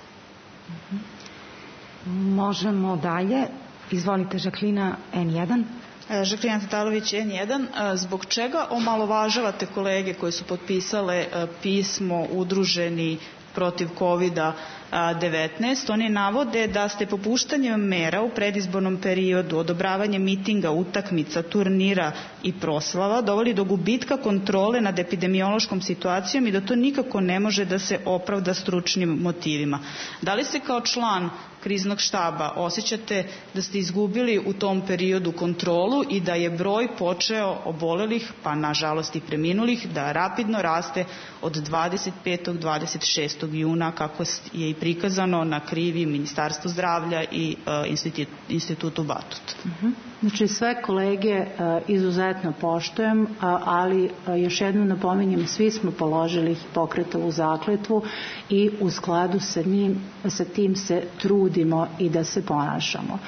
Možemo dalje. Izvolite, Žaklina, N1. Žaklina Tatalović, N1. Zbog čega omalovažavate kolege koji su potpisale pismo udruženi protiv COVID-19? Oni navode da ste popuštanjem mera u predizbornom periodu, odobravanjem mitinga, utakmica, turnira i proslava doveli do gubitka kontrole nad epidemiološkom situacijom i da to nikako ne može da se opravda stručnim motivima. Da li ste kao član kriznog štaba, osjećate da ste izgubili u tom periodu kontrolu i da je broj počeo obolelih, pa nažalost i preminulih, da rapidno raste od 25. 26. juna, kako je i prikazano na krivi Ministarstvu zdravlja i Institutu Batut? Znači, sve kolege izuzetno poštujem, ali još jednom napominjem, svi smo položili Hipokratovu zakletvu i u skladu sa tim se trudimo i da se ponašamo.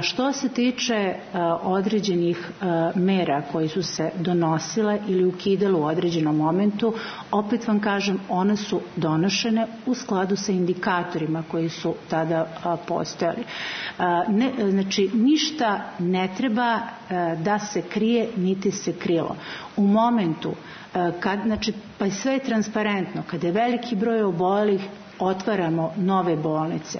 Što se tiče određenih mera koji su se donosile ili ukidale u određenom momentu, opet vam kažem, one su donošene u skladu sa indikatorima koji su tada postojali. Znači, ništa ne treba da se krije, niti se krilo. U momentu, znači, pa sve je transparentno, kada je veliki broj obolelih, otvaramo nove bolnice.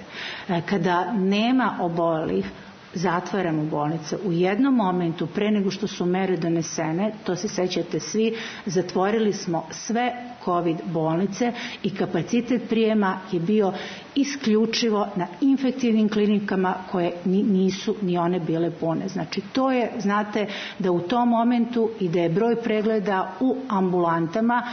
Kada nema obolelih, zatvaramo bolnice. U jednom momentu, pre nego što su mere donesene, to se sećate svi, zatvorili smo sve COVID bolnice i kapacitet prijema je bio isključivo na infektivnim klinikama koje nisu ni one bile pune. Znači, to je, znate, da u tom momentu i da je broj pregleda u ambulantama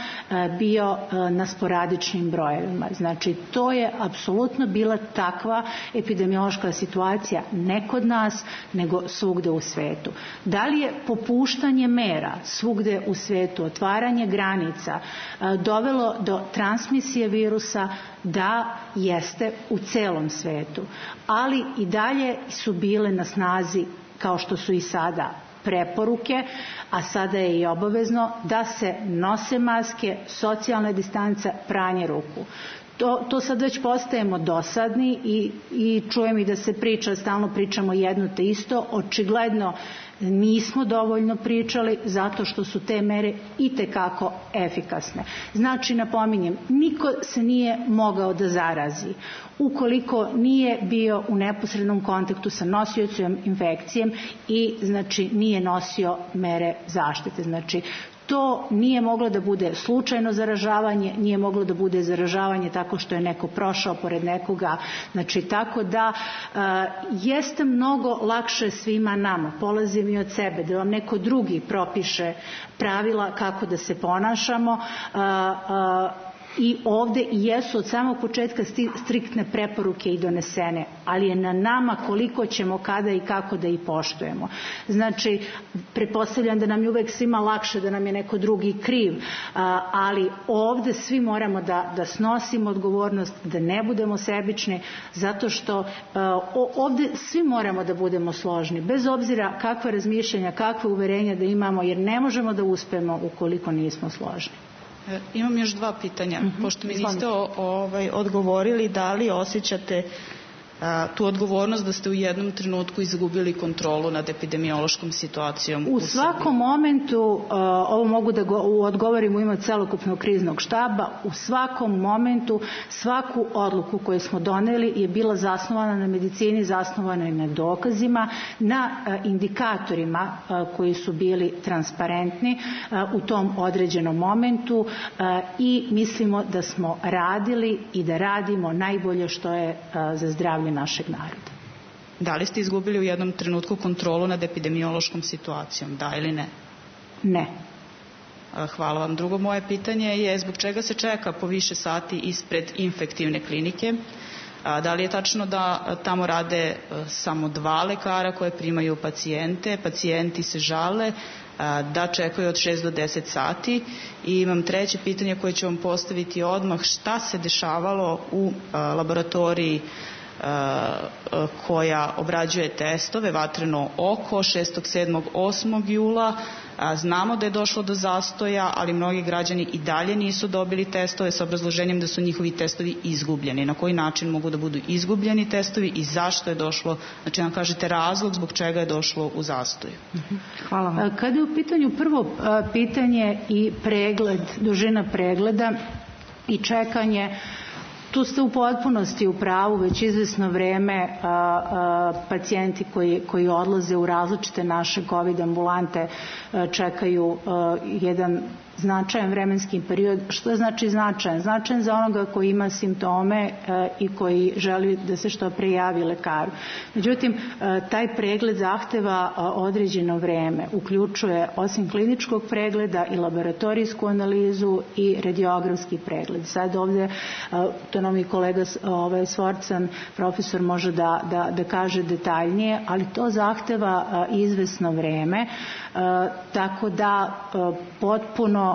bio na sporadičnim brojevima. Znači, to je apsolutno bila takva epidemiološka situacija, ne kod nas, nego svugde u svetu. Da li je popuštanje mera svugde u svetu, otvaranje granica, dovelo do transmisije virusa? Da, jeste, u celom svetu. Ali i dalje su bile na snazi, kao što su i sada, preporuke, a sada je i obavezno da se nose maske, socijalna distanca, pranje ruku. To sad već postajemo dosadni i čujem i da se priča, stalno pričamo jedno te isto, očigledno nismo dovoljno pričali zato što su te mere itekako efikasne. Znači, napominjem, niko se nije mogao da zarazi ukoliko nije bio u neposrednom kontaktu sa nosiocem infekcije i, znači, nije nosio mere zaštite. Znači, to nije moglo da bude slučajno zaražavanje, nije moglo da bude zaražavanje tako što je neko prošao pored nekoga. Znači, tako da jeste mnogo lakše svima nama, polazim i od sebe, da vam neko drugi propiše pravila kako da se ponašamo, i ovde i jesu od samog početka striktne preporuke i donesene, ali je na nama koliko ćemo, kada i kako da ih poštujemo. Znači, pretpostavljam da nam je uvek svima lakše da nam je neko drugi kriv, ali ovde svi moramo da snosimo odgovornost, da ne budemo sebični, zato što ovde svi moramo da budemo složni, bez obzira kakva razmišljanja, kakve uverenja da imamo, jer ne možemo da uspemo ukoliko nismo složni. Imam još dva pitanja. Pošto mi niste odgovorili, da li osjećate tu odgovornost da ste u jednom trenutku izgubili kontrolu nad epidemiološkom situacijom u svakom momentu, ovo mogu da odgovorim u ime celokupnog kriznog štaba, u svakom momentu svaku odluku koju smo doneli je bila zasnovana na medicini, zasnovana na dokazima, na indikatorima koji su bili transparentni u tom određenom momentu i mislimo da smo radili i da radimo najbolje što je za zdravlje našeg naroda. Da li ste izgubili u jednom trenutku kontrolu nad epidemiološkom situacijom, da ili ne? Ne. Hvala vam. Drugo moje pitanje je zbog čega se čeka po više sati ispred infektivne klinike? Da li je tačno da tamo rade samo 2 lekara koje primaju pacijente? Pacijenti se žale da čekaju od 6 do 10 sati. I imam treće pitanje koje ću vam postaviti odmah. Šta se dešavalo u laboratoriji koja obrađuje testove, Vatreno oko, 6. 7. 8. jula. Znamo da je došlo do zastoja, ali mnogi građani i dalje nisu dobili testove sa obrazloženjem da su njihovi testovi izgubljeni. Na koji način mogu da budu izgubljeni testovi i zašto je došlo, znači nam kažete razlog zbog čega je došlo u zastoj? Hvala vam. Kada je u pitanju prvo pitanje i pregled, dužina pregleda i čekanje, Tu ste u potpunosti u pravu, već izvesno vreme pacijenti koji odlaze u različite naše COVID ambulante čekaju jedan značajan vremenski period. Što znači značajan? Značajan za onoga koji ima simptome i koji želi da se što pre javi lekaru. Međutim, taj pregled zahteva određeno vreme. Uključuje osim kliničkog pregleda i laboratorijsku analizu i radiografski pregled. Sad ovdje, to nam i kolega Svorcan, profesor, može da kaže detaljnije, ali to zahteva izvesno vreme, tako da potpuno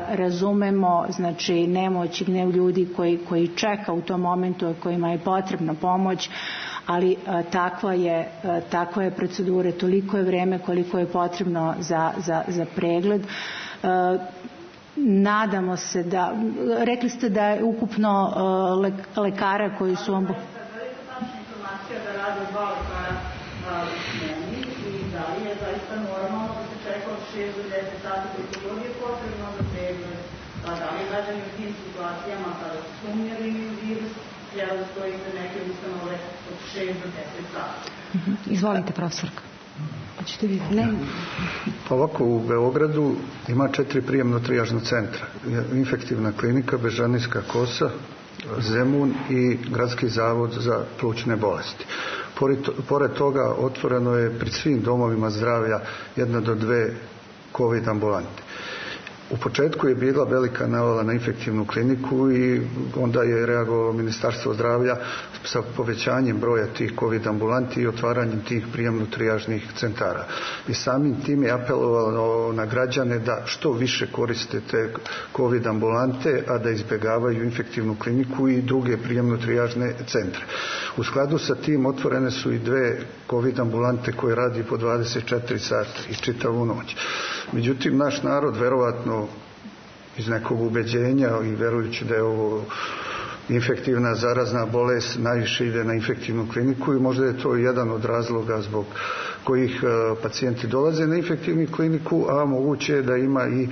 razumemo, znači, nemoć i gnev ljudi koji čeka u tom momentu, kojima je potrebna pomoć, ali takva je procedura, toliko je vreme koliko je potrebno za pregled. Nadamo se da, rekli ste da je ukupno lekara koji su vam... da rade 2 lekara u smeni i da li je zaista normalno da se čeka od 6 do 10 sati koliko je potrebno za pregled, da li građani u tim situacijama kada su sumnjali u virus treba da stojite neke ustanove od 6 do 10 sati. Izvolite, profesorka. Pa ovako, u Beogradu ima 4 prijemno-trijažna centra. Infektivna klinika, Bežanijska kosa, Zemun i Gradski zavod za plućne bolesti. Pored toga otvoreno je pri svim domovima zdravlja 1 do 2 COVID ambulante. U početku je bila velika navala na infektivnu kliniku i onda je reagovalo Ministarstvo zdravlja sa povećanjem broja tih COVID ambulanti i otvaranjem tih prijemno-trijažnih centara. I samim tim je apelovalo na građane da što više koriste te COVID ambulante, a da izbjegavaju infektivnu kliniku i druge prijemno-trijažne centre. U skladu sa tim otvorene su i 2 COVID ambulante koje radi po 24 sata i čitavu noć. Međutim, naš narod, verovatno iz nekog ubeđenja i verujući da je ovo infektivna zarazna bolest, najviše ide na infektivnu kliniku i možda je to jedan od razloga zbog kojih pacijenti dolaze na infektivnu kliniku, a moguće je da ima i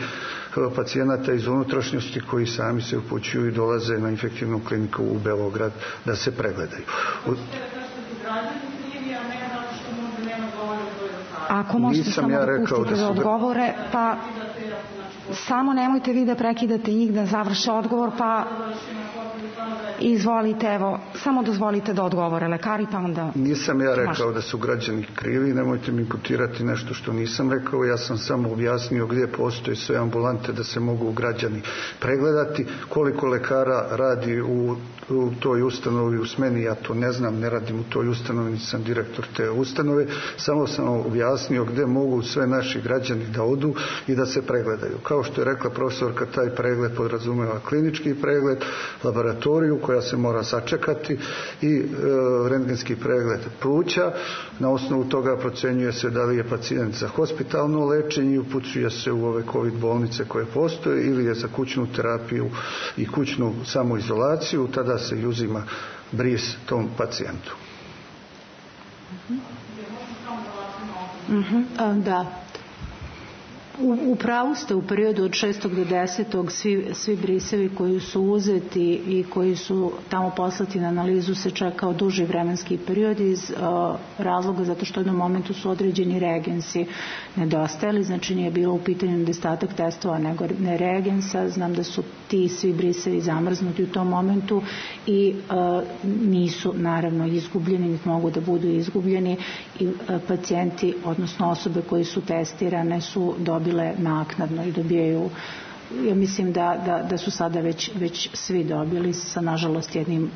pacijenata iz unutrašnjosti koji sami se upućuju i dolaze na infektivnu kliniku u Beograd da se pregledaju. Ako možete samo da pustite da odgovore, pa samo nemojte vi da prekidate njih da završe odgovor, pa izvolite, evo, samo dozvolite da odgovore lekari, pa onda... Nisam ja rekao da su građani krivi, nemojte mi imputirati nešto što nisam rekao, ja sam samo objasnio gdje postoje sve ambulante da se mogu građani pregledati, koliko lekara radi u toj ustanovi u smeni, ja to ne znam, ne radim u toj ustanovi, nisam direktor te ustanove, samo sam objasnio gdje mogu sve naši građani da odu i da se pregledaju. Kao što je rekla profesorka, taj pregled podrazumeva klinički pregled, laboratoriju koja se mora sačekati i rentgenski pregled pluća. Na osnovu toga procenjuje se da li je pacijent za hospitalno lečenje i upućuje se u ove COVID bolnice koje postoje ili je za kućnu terapiju i kućnu samoizolaciju, tada se uzima bris tom pacijentu. Da. U pravu ste, u periodu od 6. do 10. svi brisevi koji su uzeti i koji su tamo poslati na analizu se čekao duži vremenski period iz razloga zato što u jednom momentu su određeni reagensi nedostajali, znači nije bilo u pitanju nedostatak testova nego ne reagensa. Znam da su ti svi brisevi zamrznuti u tom momentu i nisu naravno izgubljeni, niti mogu da budu izgubljeni i pacijenti, odnosno osobe koji su testirane su dobile naknadno i dobijaju, ja mislim da su sada već svi dobili sa nažalost jednim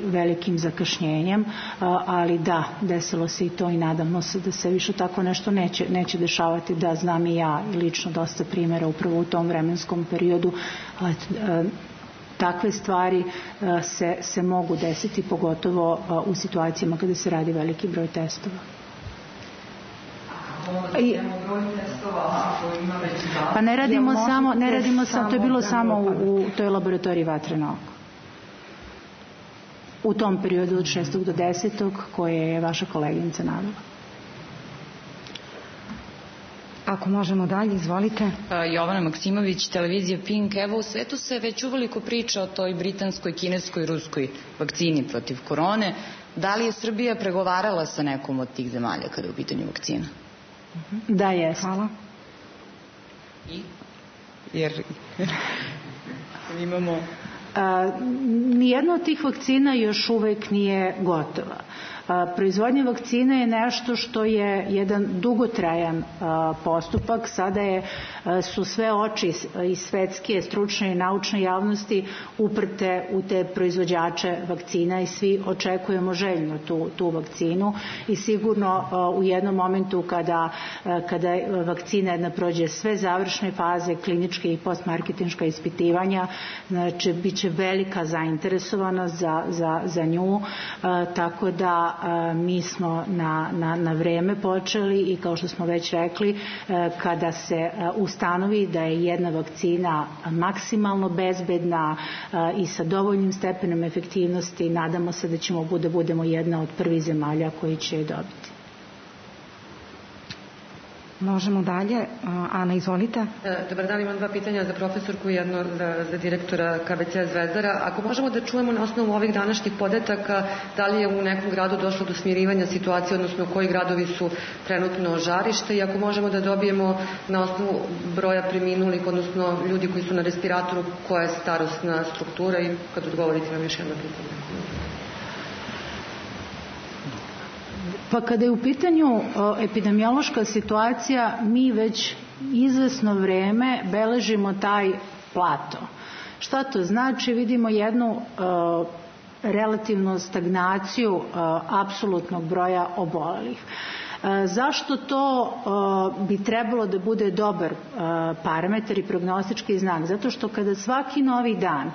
velikim zakašnjenjem, ali da, desilo se i to i nadamo se da se više tako nešto neće dešavati, da znam i ja i lično dosta primjera upravo u tom vremenskom periodu. Takve stvari se mogu desiti, pogotovo u situacijama kada se radi veliki broj testova. Pa ne radimo samo, to je bilo samo u toj laboratoriji Vatreno oko. U tom periodu od 6. do 10. koje je vaša koleginica navela. Ako možemo dalje, izvolite. Jovana Maksimović, televizija Pink. Evo, u svetu se već uveliko priča o toj britanskoj, kineskoj, ruskoj vakcini protiv korone. Da li je Srbija pregovarala sa nekom od tih zemalja kada je u pitanju vakcina? Da, jest. Hvala. Jer imamo... Nijedna od tih vakcina još uvek nije gotova. Proizvodnja vakcine je nešto što je jedan dugotrajan postupak. Sada su sve oči i svetske, stručne i naučne javnosti uprte u te proizvođače vakcina i svi očekujemo željno tu vakcinu i sigurno u jednom momentu kada vakcina jedna prođe sve završne faze, kliničke i postmarketinška ispitivanja, znači bit će velika zainteresovanost za nju, tako da mi smo na vreme počeli i kao što smo već rekli, kada se ustanovi da je jedna vakcina maksimalno bezbedna i sa dovoljnim stepenom efektivnosti, nadamo se da ćemo da budemo jedna od prvih zemalja koji će je dobiti. Možemo dalje. Ana, izvolite. Dobar dan, imam dva pitanja za profesorku i jedno za direktora KBC Zvezdara. Ako možemo da čujemo na osnovu ovih današnjih podataka da li je u nekom gradu došlo do smirivanja situacije, odnosno koji gradovi su trenutno žarište, i ako možemo da dobijemo na osnovu broja preminulih, odnosno ljudi koji su na respiratoru, koja je starosna struktura, i kad odgovorite vam još jedno pitanje. Pa kada je u pitanju epidemiološka situacija, mi već izvesno vreme beležimo taj plato. Šta to znači? Vidimo jednu relativnu stagnaciju apsolutnog broja obolelih. Zašto to bi trebalo da bude dobar parametar i prognostički znak? Zato što kada svaki novi dan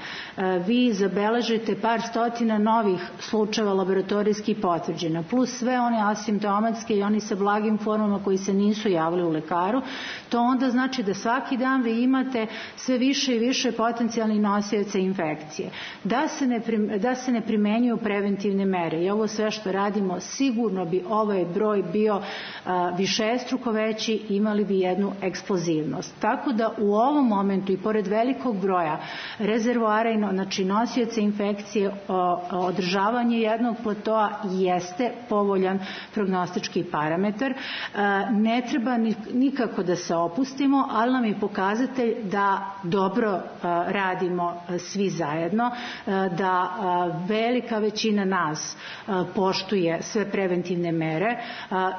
vi zabeležite par stotina novih slučajeva laboratorijski potvrđena, plus sve one asimptomatske i oni sa blagim formama koji se nisu javili u lekaru, to onda znači da svaki dan vi imate sve više i više potencijalnih nosioca infekcije. Da se ne primenjuju preventivne mere i ovo sve što radimo, sigurno bi ovaj broj bio višestruko veći, imali bi jednu eksplozivnost. Tako da u ovom momentu i pored velikog broja rezervoara, znači nosioca infekcije, održavanje jednog platoa jeste povoljan prognostički parametar. Ne treba nikako da se opustimo, ali nam je pokazatelj da dobro radimo svi zajedno, da velika većina nas poštuje sve preventivne mere,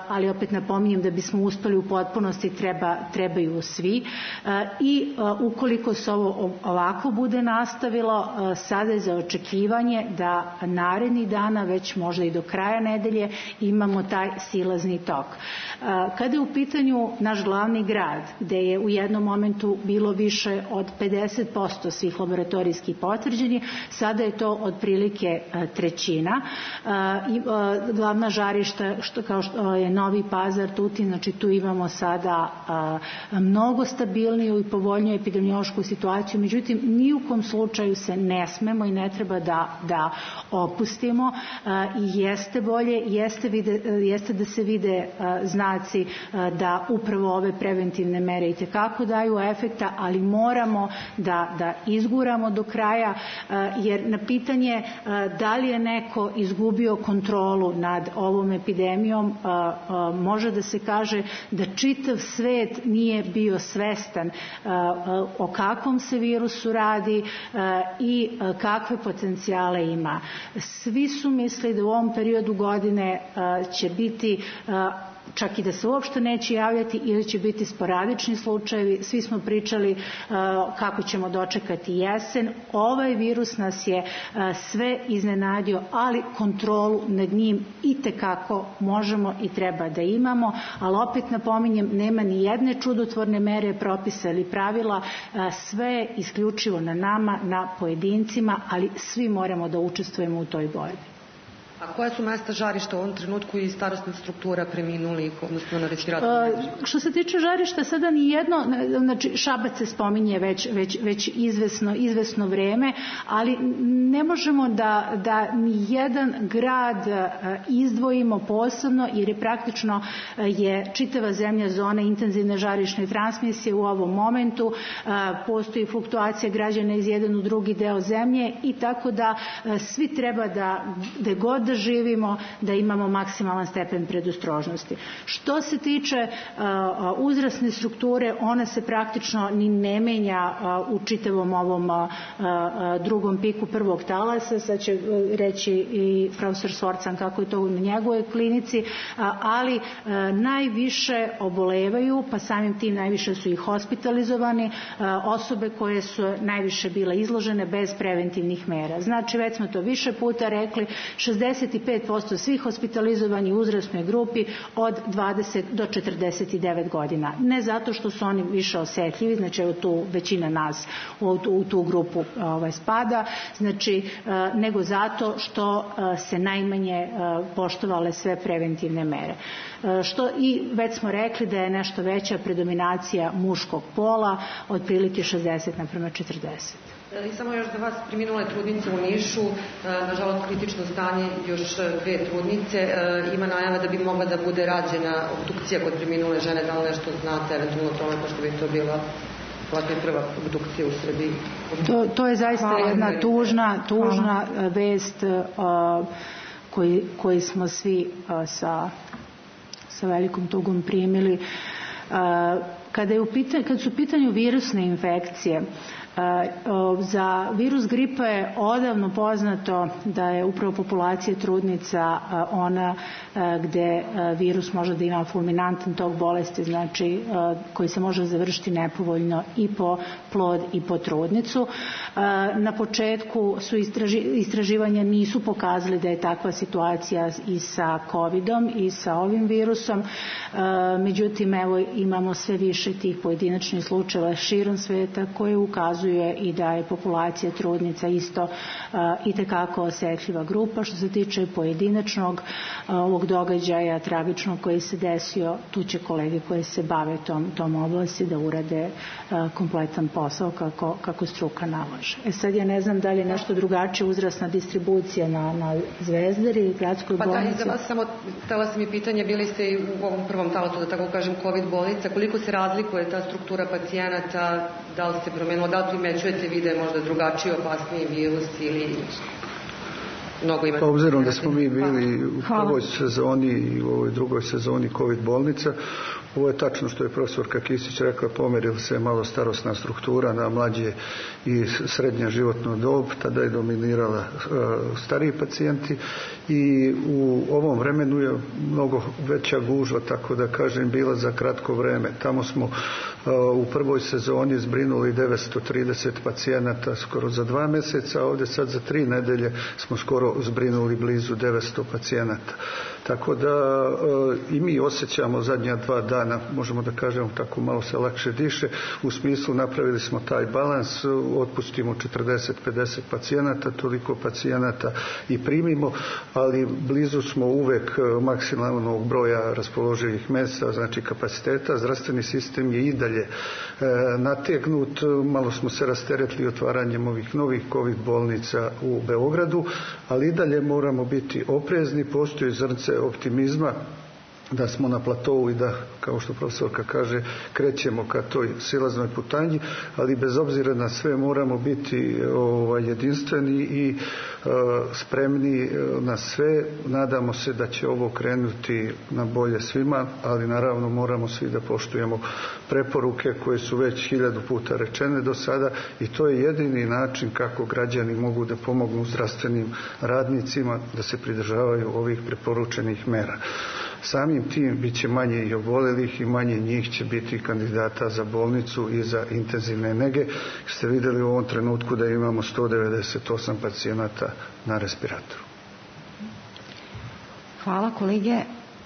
ali opet napominjem da bismo uspeli u potpunosti trebaju svi, i ukoliko se ovo ovako bude nastavilo, sada je za očekivanje da narednih dana, već možda i do kraja nedelje, imamo taj silazni tok. Kada je u pitanju naš glavni grad, gde je u jednom momentu bilo više od 50% svih laboratorijskih potvrđenih, sada je to otprilike trećina. Glavna žarišta kao što je Novi Pazar, Tutin, znači tu imamo sada mnogo stabilniju i povoljniju epidemiološku situaciju, međutim ni u kom slučaju se ne smemo i ne treba da opustimo, i jeste bolje, jeste da se vide znaci da upravo ove preventivne mere itekako daju efekta, ali moramo da izguramo do kraja, jer na pitanje da li je neko izgubio kontrolu nad ovom epidemijom, može da se kaže da čitav svet nije bio svestan o kakvom se virusu radi i kakve potencijale ima. Svi su mislili da u ovom periodu godine će biti, čak i da se uopšte neće javljati, ili će biti sporadični slučajevi. Svi smo pričali kako ćemo dočekati jesen. Ovaj virus nas je sve iznenadio, ali kontrolu nad njim itekako možemo i treba da imamo, ali opet napominjem, nema ni jedne čudotvorne mere, propisa ili pravila, sve je isključivo na nama, na pojedincima, ali svi moramo da učestvujemo u toj borbi. A koja su mesta žarišta u ovom trenutku i starosna struktura preminulih, odnosno na respiratoru? Što se tiče žarišta, sada ni jedno, znači Šabac se spominje već izvesno vreme, ali ne možemo da ni jedan grad izdvojimo posebno, jer je praktično čitava zemlja zona intenzivne žarišne transmisije u ovom momentu, postoji fluktuacija građana iz jedan u drugi deo zemlje i tako da svi treba da god da živimo, da imamo maksimalan stepen predostrožnosti. Što se tiče uzrasne strukture, ona se praktično ni ne menja u čitavom ovom drugom piku prvog talasa, sad će reći i profesor Svorcan kako je to u njegovoj klinici, ali najviše obolevaju, pa samim tim najviše su i hospitalizovani osobe koje su najviše bile izložene bez preventivnih mera. Znači, već smo to više puta rekli, 65% svih hospitalizovanih u uzrasnoj grupi od 20 do 49 godina. Ne zato što su oni više osetljivi, znači tu većina nas u tu grupu spada, znači nego zato što se najmanje poštovale sve preventivne mere. I već smo rekli da je nešto veća predominacija muškog pola, otprilike 60:40. I samo još za vas, preminule trudnice u Nišu, nažalost kritično stanje, još 2 trudnice, ima najava da bi mogla da bude rađena obdukcija kod preminule žene, da li nešto znate eventualno tome, pošto bi to bila prva obdukcija u Srbiji? To je zaista jedna tužna vest koji smo svi sa velikom tugom primili. Kad su u pitanju virusne infekcije, za virus gripa je odavno poznato da je upravo populacija trudnica ona gde virus može da ima fulminantan tok bolesti, znači koji se može završiti nepovoljno i po plod i po trudnicu. Na početku su istraživanja nisu pokazali da je takva situacija i sa covidom i sa ovim virusom, međutim evo imamo sve više tih pojedinačnih slučajeva širom sveta koje ukazuje i da je populacija trudnica isto itekako osetljiva grupa. Što se tiče pojedinačnog ovog događaja tragičnog koji se desio, tu će kolege koje se bave tom oblasti da urade kompletan posao kako struka nalaže. Sad ja ne znam da li je nešto drugačije uzrasna distribucija na Zvezdari, gradskoj bolnici. Pa da, i za vas samo htela sam i pitanje, bili ste i u ovom prvom talasu, da tako kažem, COVID bolnica, koliko se razlikuje ta struktura pacijenata, da li ste promenilo, da li primećujete vi da je možda drugačiji, opasniji virus ili mnogo imate? Obzirom da smo mi bili u prvoj sezoni i u ovoj drugoj sezoni COVID bolnica, ovo je tačno što je profesorka Kisić rekla, pomerila se malo starosna struktura na mlađe i srednja životna dob, tada je dominirala stariji pacijenti i u ovom vremenu je mnogo veća gužva, tako da kažem, bila za kratko vreme. Tamo smo u prvoj sezoni zbrinuli 930 pacijenata skoro za 2 meseca, a ovdje sad za 3 nedelje smo skoro zbrinuli blizu 900 pacijenata. Tako da i mi osjećamo zadnja 2 dana, možemo da kažemo tako, malo se lakše diše, u smislu napravili smo taj balans, otpustimo 40-50 pacijenata, toliko pacijenata i primimo, ali blizu smo uvek maksimalnog broja raspoloživih mjesta, znači kapaciteta. Zdravstveni sistem je i dalje nategnut, malo smo se rasteretili otvaranjem ovih novih COVID bolnica u Beogradu, ali i dalje moramo biti oprezni, postoji zrnce optimizma da smo na platovu i da, kao što profesorka kaže, krećemo ka toj silaznoj putanji, ali bez obzira na sve moramo biti jedinstveni i spremni na sve. Nadamo se da će ovo krenuti na bolje svima, ali naravno moramo svi da poštujemo preporuke koje su već 1000 puta rečene do sada i to je jedini način kako građani mogu da pomognu zdravstvenim radnicima da se pridržavaju ovih preporučenih mera. Samim tim bit će manje i obolelih i manje njih će biti kandidata za bolnicu i za intenzivne nege. Ste vidjeli u ovom trenutku da imamo 198 pacijenata na respiratoru. Hvala kolege.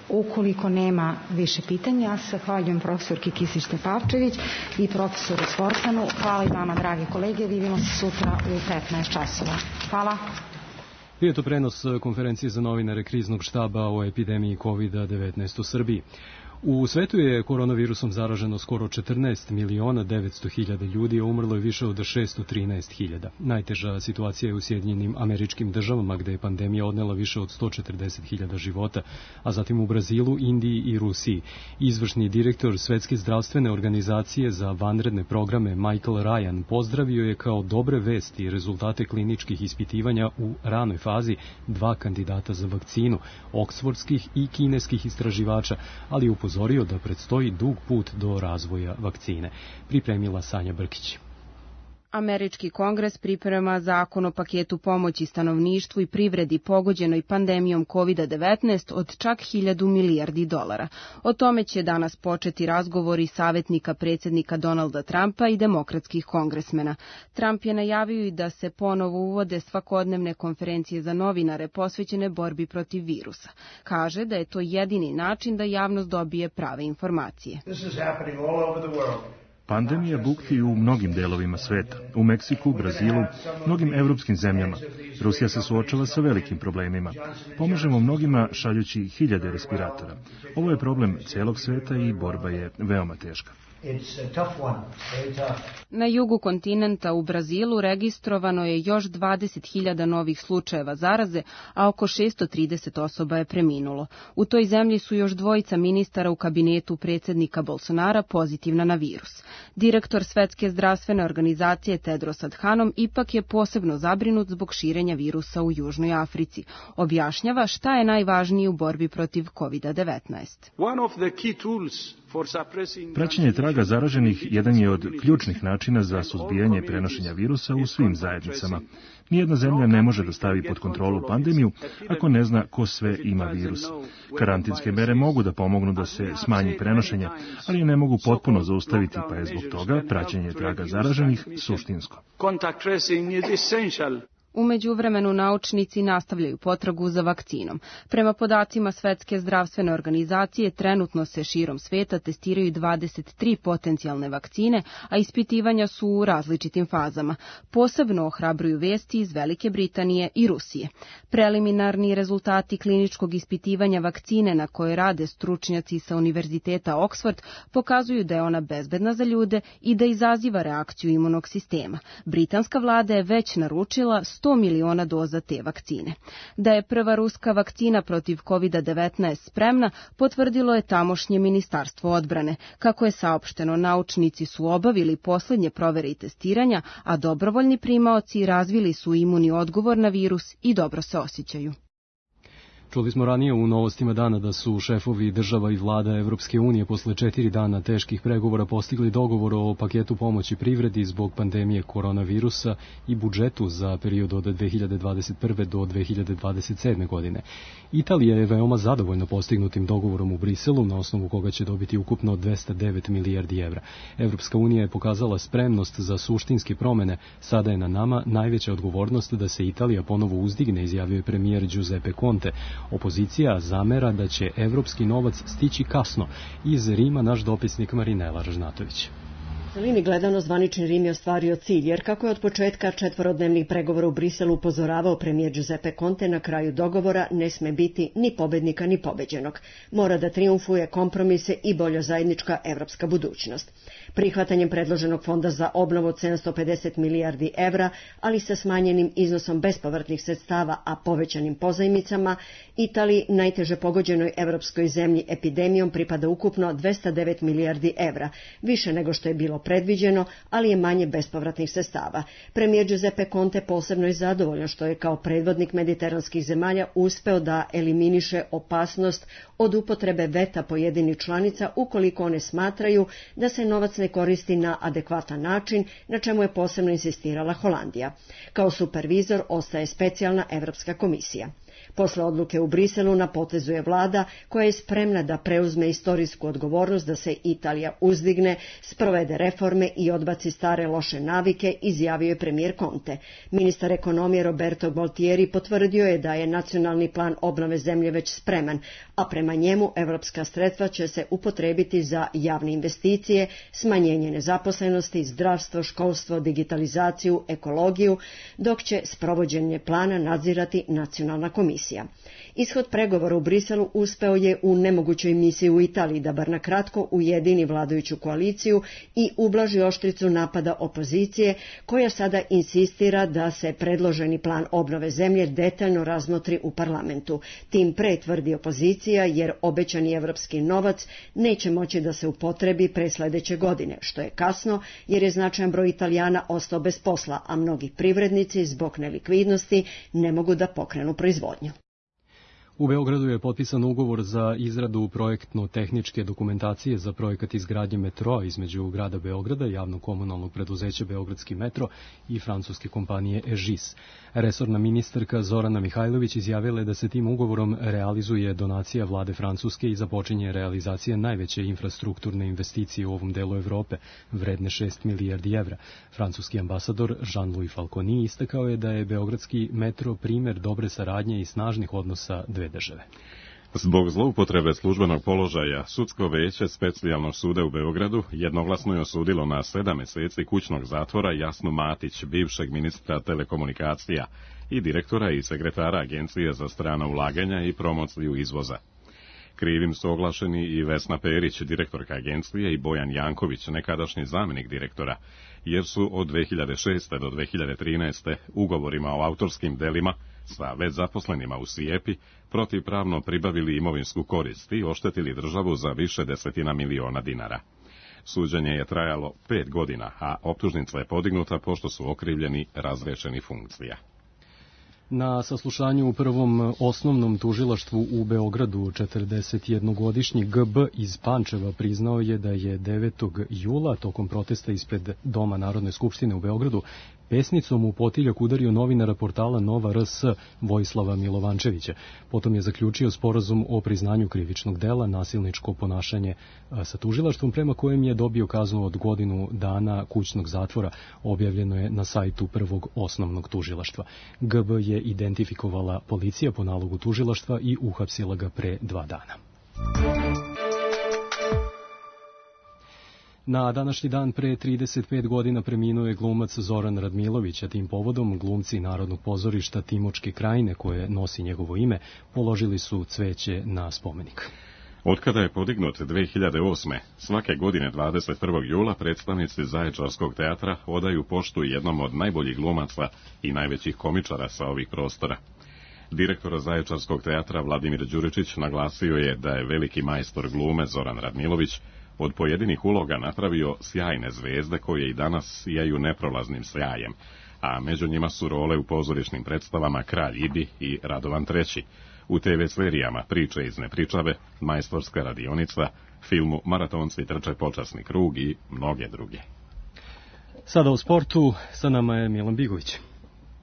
Ukoliko nema više pitanja, ja se zahvaljujem profesorki Kisić-Tepavčević i profesoru Svorcanu. Hvala i vama, dragi kolege. Vidimo se sutra u 15 časova. Hvala. Bio je to prenos konferencije za novinare kriznog štaba o epidemiji COVID-19 u Srbiji. U svetu je koronavirusom zaraženo skoro 14.900.000 ljudi, a umrlo je više od 613.000. Najteža situacija je u Sjedinjenim Američkim Državama, gde je pandemija odnela više od 140.000 života, a zatim u Brazilu, Indiji i Rusiji. Izvršni direktor Svetske zdravstvene organizacije za vanredne programe Michael Ryan pozdravio je kao dobre vesti rezultate kliničkih ispitivanja u ranoj fazi 2 kandidata za vakcinu, oksfordskih i kineskih istraživača, ali upozorio da predstoji dug put do razvoja vakcine. Pripremila Sanja Brkić. Američki kongres priprema zakon o paketu pomoći stanovništvu i privredi pogođenoj pandemijom COVID-19 od čak 1.000 milijardi dolara. O tome će danas početi razgovori savjetnika predsjednika Donalda Trumpa i demokratskih kongresmena. Trump je najavio i da se ponovo uvode svakodnevne konferencije za novinare posvećene borbi protiv virusa. Kaže da je to jedini način da javnost dobije prave informacije. Pandemija bukti u mnogim delovima sveta, u Meksiku, Brazilu, mnogim evropskim zemljama. Rusija se suočava sa velikim problemima. Pomažemo mnogima šaljući 1000 respiratora. Ovo je problem celog sveta i borba je veoma teška. Na jugu kontinenta u Brazilu registrovano je još 20.000 novih slučajeva zaraze, a oko 630 osoba je preminulo. U toj zemlji su još 2 ministara u kabinetu predsjednika Bolsonara pozitivna na virus. Direktor Svetske zdravstvene organizacije Tedros Adhanom ipak je posebno zabrinut zbog širenja virusa u Južnoj Africi. Objašnjava šta je najvažnije u borbi protiv COVID-19. Praćenje traga zaraženih jedan je od ključnih načina za suzbijanje prenošenja virusa u svim zajednicama. Nijedna zemlja ne može da stavi pod kontrolu pandemiju ako ne zna ko sve ima virus. Karantinske mere mogu da pomognu da se smanji prenošenje, ali ne mogu potpuno zaustaviti, pa je zbog toga praćenje traga zaraženih suštinsko. U međuvremenu naučnici nastavljaju potragu za vakcinom. Prema podacima Svetske zdravstvene organizacije, trenutno se širom sveta testiraju 23 potencijalne vakcine, a ispitivanja su u različitim fazama. Posebno ohrabruju vesti iz Velike Britanije i Rusije. Preliminarni rezultati kliničkog ispitivanja vakcine na koje rade stručnjaci sa Univerziteta Oxford pokazuju da je ona bezbedna za ljude i da izaziva reakciju imunog sistema. Britanska vlada je već naručila 100 miliona doza te vakcine. Da je prva ruska vakcina protiv COVID-19 spremna, potvrdilo je tamošnje ministarstvo odbrane. Kako je saopšteno, naučnici su obavili poslednje provere i testiranja, a dobrovoljni primaoci razvili su imuni odgovor na virus i dobro se osjećaju. Čuli smo ranije u novostima dana da su šefovi država i vlada Evropske unije posle 4 dana teških pregovora postigli dogovor o paketu pomoći privredi zbog pandemije koronavirusa i budžetu za period od 2021. do 2027. godine. Italija je veoma zadovoljna postignutim dogovorom u Briselu, na osnovu koga će dobiti ukupno 209 milijardi evra. Evropska unija je pokazala spremnost za suštinske promene. Sada je na nama najveća odgovornost da se Italija ponovo uzdigne, izjavio je premijer Giuseppe Conte. Opozicija zamera da će evropski novac stići kasno. Iz Rima naš dopisnik Marinela Ražnatović. U celini gledano zvanični Rim je ostvario cilj, jer kako je od početka 4-dnevnih pregovora u Briselu upozoravao premijer Giuseppe Conte, na kraju dogovora ne sme biti ni pobednika ni pobeđenog. Mora da triumfuje kompromise i bolja zajednička evropska budućnost. Prihvatanjem predloženog fonda za obnovu od 750 milijardi evra, ali sa smanjenim iznosom bespovratnih sredstava, a povećanim pozajmicama, Italiji, najteže pogođenoj evropskoj zemlji epidemijom, pripada ukupno 209 milijardi evra, više nego što je bilo predviđeno, ali je manje bespovratnih sredstava. Premijer Giuseppe Conte posebno je zadovoljan što je kao predvodnik mediteranskih zemalja uspeo da eliminiše opasnost od upotrebe veta pojedinih članica ukoliko one smatraju da se novac ne koristi na adekvatan način, na čemu je posebno insistirala Holandija. Kao supervizor ostaje specijalna Evropska komisija. Posle odluke u Briselu na potezu je vlada koja je spremna da preuzme istorijsku odgovornost da se Italija uzdigne, sprovede reforme i odbaci stare loše navike, izjavio je premijer Conte. Ministar ekonomije Roberto Gualtieri potvrdio je da je nacionalni plan obnove zemlje već spreman, a prema njemu evropska sredstva će se upotrebiti za javne investicije, smanjenje nezaposlenosti, zdravstvo, školstvo, digitalizaciju, ekologiju, dok će sprovođenje plana nadzirati nacionalna komisija. Ishod pregovora u Briselu uspeo je u nemogućoj misiji u Italiji da bar na kratko ujedini vladajuću koaliciju i ublaži oštricu napada opozicije, koja sada insistira da se predloženi plan obnove zemlje detaljno razmotri u parlamentu. Tim pre, tvrdi opozicija, jer obećani evropski novac neće moći da se upotrebi pre sledeće godine, što je kasno jer je značajan broj Italijana ostao bez posla, a mnogi privrednici zbog nelikvidnosti ne mogu da pokrenu proizvodnju. U Beogradu je potpisan ugovor za izradu projektno-tehničke dokumentacije za projekat izgradnje metroa između grada Beograda, javnog komunalnog preduzeća Beogradski metro i francuske kompanije EGIS. Resorna ministarka Zorana Mihajlović izjavila je da se tim ugovorom realizuje donacija vlade Francuske i započinje realizacija najveće infrastrukturne investicije u ovom delu Evrope, vredne 6 milijardi evra. Francuski ambasador Jean-Louis Falconi istakao je da je Beogradski metro primer dobre saradnje i snažnih odnosa dve države. Zbog zloupotrebe službenog položaja, sudsko veće Specijalnog suda u Beogradu jednoglasno je osudilo na 7 meseci kućnog zatvora Jasnu Matić, bivšeg ministra telekomunikacija i direktora i sekretara Agencije za strana ulaganja i promociju izvoza. Krivim su oglašeni i Vesna Perić, direktorka agencije, i Bojan Janković, nekadašnji zamenik direktora, jer su od 2006. do 2013. ugovorima o autorskim delima sa već zaposlenima u SIEPI protivpravno pribavili imovinsku korist i oštetili državu za više desetina miliona dinara. Suđenje je trajalo 5 godina, a optužnica je podignuta pošto su okrivljeni razrešeni funkcija. Na saslušanju u prvom osnovnom tužilaštvu u Beogradu 41-godišnji GB iz Pančeva priznao je da je 9. jula tokom protesta ispred Doma Narodne skupštine u Beogradu pesnicom u potiljak udario novinara portala Nova RS Vojislava Milovančevića. Potom je zaključio sporazum o priznanju krivičnog dela, nasilničko ponašanje sa tužilaštvom, prema kojem je dobio kaznu od godinu dana kućnog zatvora. Objavljeno je na sajtu prvog osnovnog tužilaštva. GB je identifikovala policija po nalogu tužilaštva i uhapsila ga pre 2 dana. Na današnji dan pre 35 godina preminuo je glumac Zoran Radmilović, a tim povodom glumci Narodnog pozorišta Timočke krajine, koje nosi njegovo ime, položili su cveće na spomenik. Otkada je podignut 2008. svake godine 21. jula predstavnici Zaječarskog teatra odaju poštu jednom od najboljih glumaca i najvećih komičara sa ovih prostora. Direktor Zaječarskog teatra Vladimir Đuričić naglasio je da je veliki majstor glume Zoran Radmilović od pojedinih uloga napravio sjajne zvezde koje i danas sijaju neprolaznim sjajem, a među njima su role u pozorišnim predstavama Kralj Ibi i Radovan III, u TV serijama Priče iz nepričave, Majstorska radionica, filmu Maratonci trče počasni krug i mnoge druge. Sada u sportu, sa nama je Milan Bigović.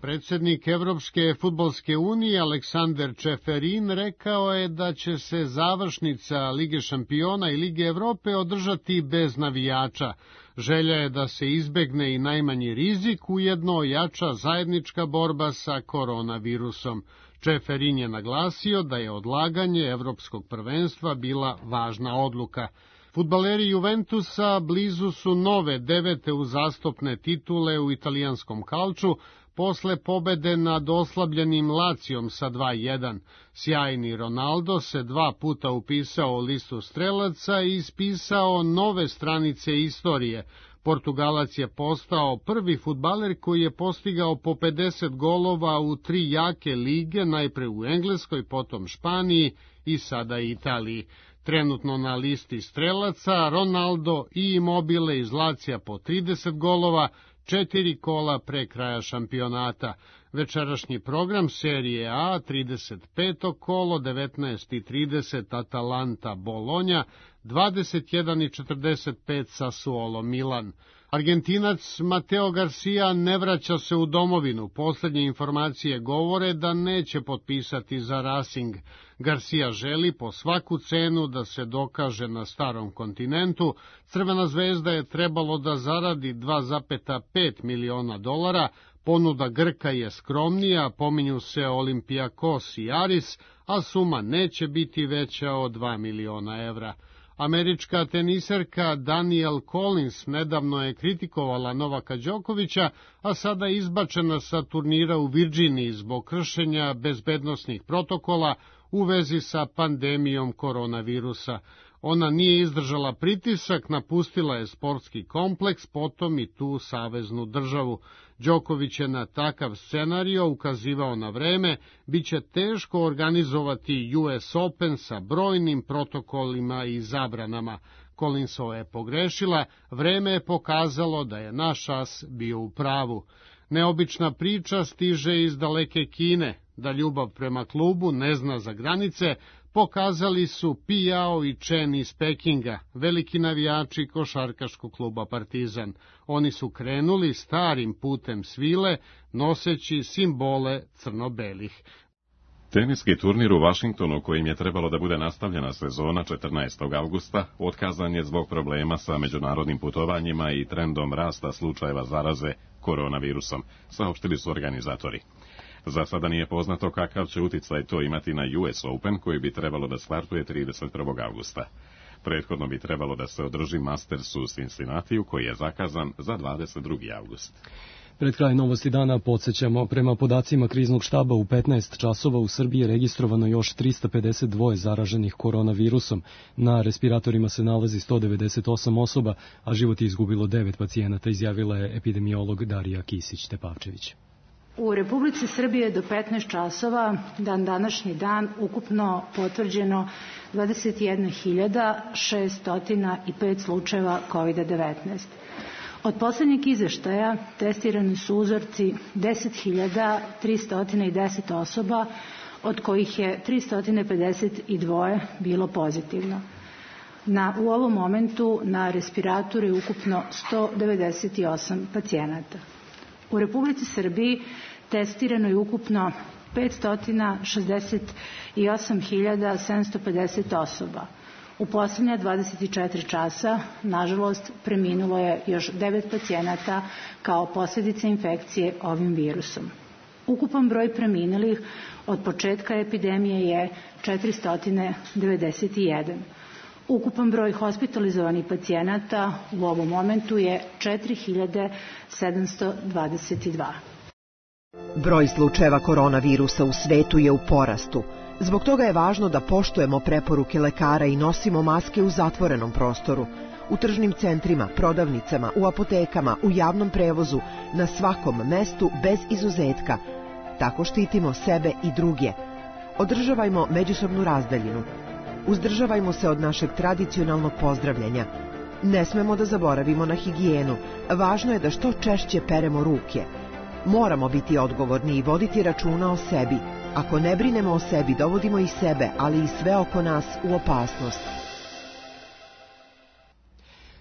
Predsjednik Evropske fudbalske unije Aleksandar Čeferin rekao je da će se završnica Lige šampiona i Lige Evrope održati bez navijača. Želja je da se izbegne i najmanji rizik, ujedno ojača zajednička borba sa koronavirusom. Čeferin je naglasio da je odlaganje evropskog prvenstva bila važna odluka. Fudbaleri Juventusa blizu su nove 9. uzastopne titule u italijanskom kalču, posle pobede nad oslabljenim Lacijom sa 2:1. Sjajni Ronaldo se 2 puta upisao u listu strelaca i ispisao nove stranice istorije. Portugalac je postao prvi fudbaler koji je postigao po 50 golova u 3 jake lige, najpre u Engleskoj, potom Španiji i sada Italiji. Trenutno na listi strelaca Ronaldo i Immobile iz Lacija po 30 golova, 4 kola pre kraja šampionata. Večerašnji program serije A, 35. kolo, 19:30 Atalanta Bolonja, 21:45 Sassuolo Milan. Argentinac Mateo Garcia ne vraća se u domovinu. Poslednje informacije govore da neće potpisati za Racing. Garcia želi po svaku cenu da se dokaže na starom kontinentu. Crvena zvezda je trebalo da zaradi $2,5 miliona. Ponuda Grka je skromnija, pominju se Olympiakos i Aris, a suma neće biti veća od $2 miliona. Američka teniserka Danielle Collins nedavno je kritikovala Novaka Đokovića, a sada je izbačena sa turnira u Virginiji zbog kršenja bezbednosnih protokola u vezi sa pandemijom koronavirusa. Ona nije izdržala pritisak, napustila je sportski kompleks, potom i tu saveznu državu. Đoković je na takav scenario ukazivao na vreme, biće teško organizovati US Open sa brojnim protokolima i zabranama. Collinsova je pogrešila, vreme je pokazalo da je naš as bio u pravu. Neobična priča stiže iz daleke Kine, da ljubav prema klubu ne zna za granice, pokazali su Pi Jao i Chen iz Pekinga, veliki navijači košarkaškog kluba Partizan. Oni su krenuli starim putem svile, noseći simbole crno-belih. Teniski turnir u Vašingtonu, kojim je trebalo da bude nastavljena sezona 14. avgusta, otkazan je zbog problema sa međunarodnim putovanjima i trendom rasta slučajeva zaraze koronavirusom, saopštili su organizatori. Za sada nije poznato kakav će uticaj to imati na US Open, koji bi trebalo da startuje 31. avgusta. Prethodno bi trebalo da se održi Masters u Cincinnatiju, koji je zakazan za 22. avgust. Pred kraj novosti dana podsjećamo, prema podacima kriznog štaba u 15 časova u Srbiji je registrovano još 352 zaraženih koronavirusom. Na respiratorima se nalazi 198 osoba, a život je izgubilo 9 pacijenata, izjavila je epidemiolog Darija Kisić-Tepavčević. U Republici Srbije do 15 časova, današnji dan, ukupno potvrđeno 21.605 slučajeva COVID-19. Od poslednjeg izveštaja testirani su uzorci 10.310 osoba, od kojih je 352 bilo pozitivno. U ovom momentu na respiratoru je ukupno 198 pacijenata. U Republici Srbiji testirano je ukupno 568.750 osoba. U poslednja 24 časa, nažalost, preminulo je još 9 pacijenata kao posljedica infekcije ovim virusom. Ukupan broj preminulih od početka epidemije je 491. Ukupan broj hospitalizovanih pacijenata u ovom momentu je 4.722. Broj slučajeva koronavirusa u svetu je u porastu. Zbog toga je važno da poštujemo preporuke lekara i nosimo maske u zatvorenom prostoru, u tržnim centrima, prodavnicama, u apotekama, u javnom prevozu, na svakom mestu bez izuzetka. Tako štitimo sebe i druge. Održavajmo međusobnu razdaljinu. Uzdržavajmo se od našeg tradicionalnog pozdravljanja. Ne smemo da zaboravimo na higijenu. Važno je da što češće peremo ruke. Moramo biti odgovorni i voditi računa o sebi. Ako ne brinemo o sebi, dovodimo i sebe, ali i sve oko nas u opasnost.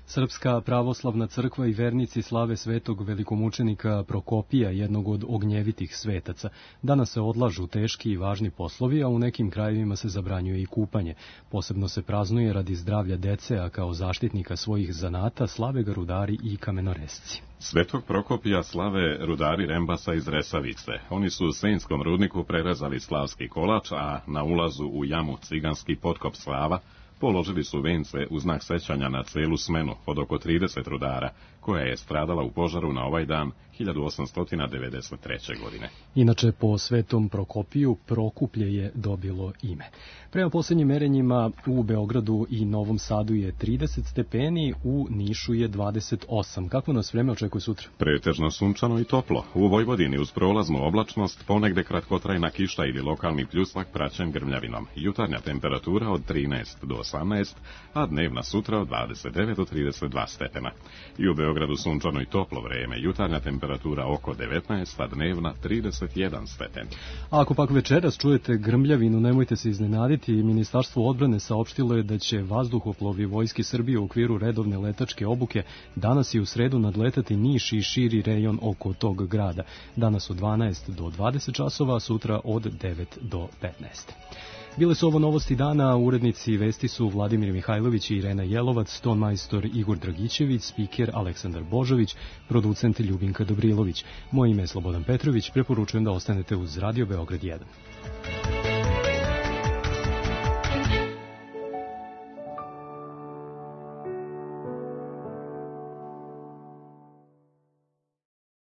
Srpska pravoslavna crkva i vernici slave svetog velikomučenika Prokopija, jednog od ognjevitih svetaca. Danas se odlažu teški i važni poslovi, a u nekim krajevima se zabranjuje i kupanje. Posebno se praznuje radi zdravlja dece, a kao zaštitnika svojih zanata slave ga rudari i kamenoresci. Svetog Prokopija slave rudari Rembasa iz Resavice. Oni su u Senjskom rudniku prerezali slavski kolač, a na ulazu u jamu Ciganski potkop slava položili su vence u znak sećanja na celu smenu od oko 30 rudara, koja je stradala u požaru na ovaj dan 1893. godine. Inače, po Svetom Prokopiju, Prokuplje je dobilo ime. Prema posljednjim merenjima u Beogradu i Novom Sadu je 30 stepeni, u Nišu je 28. Kako nas vreme očekuje sutra? Pretežno sunčano i toplo. U Vojvodini uz prolaznu oblačnost, ponegde kratkotrajna kiša ili lokalni pljusak praćen grmljavinom. Jutarnja temperatura od 13 do 18, a dnevna sutra od 29 do 32 stepena. I u Beogradu sunčano i toplo vreme, jutarnja temperatura oko 19, a dnevna 31 stepen. A ako pak večeras čujete grmljavinu, nemojte se iznenaditi. Ministarstvo odbrane saopštilo je da će vazduhoplovi Vojske Srbije u okviru redovne letačke obuke danas i u sredu nadletati Niš i širi rejon oko tog grada. Danas od 12 do 20 časova, a sutra od 9 do 15. Bile su ovo novosti dana, urednici vesti su Vladimir Mihajlović i Irena Jelovac, ton majstor Igor Dragićević, spiker Aleksandar Božović, producent Ljubinka Dobrilović. Moje ime je Slobodan Petrović, preporučujem da ostanete uz Radio Beograd 1.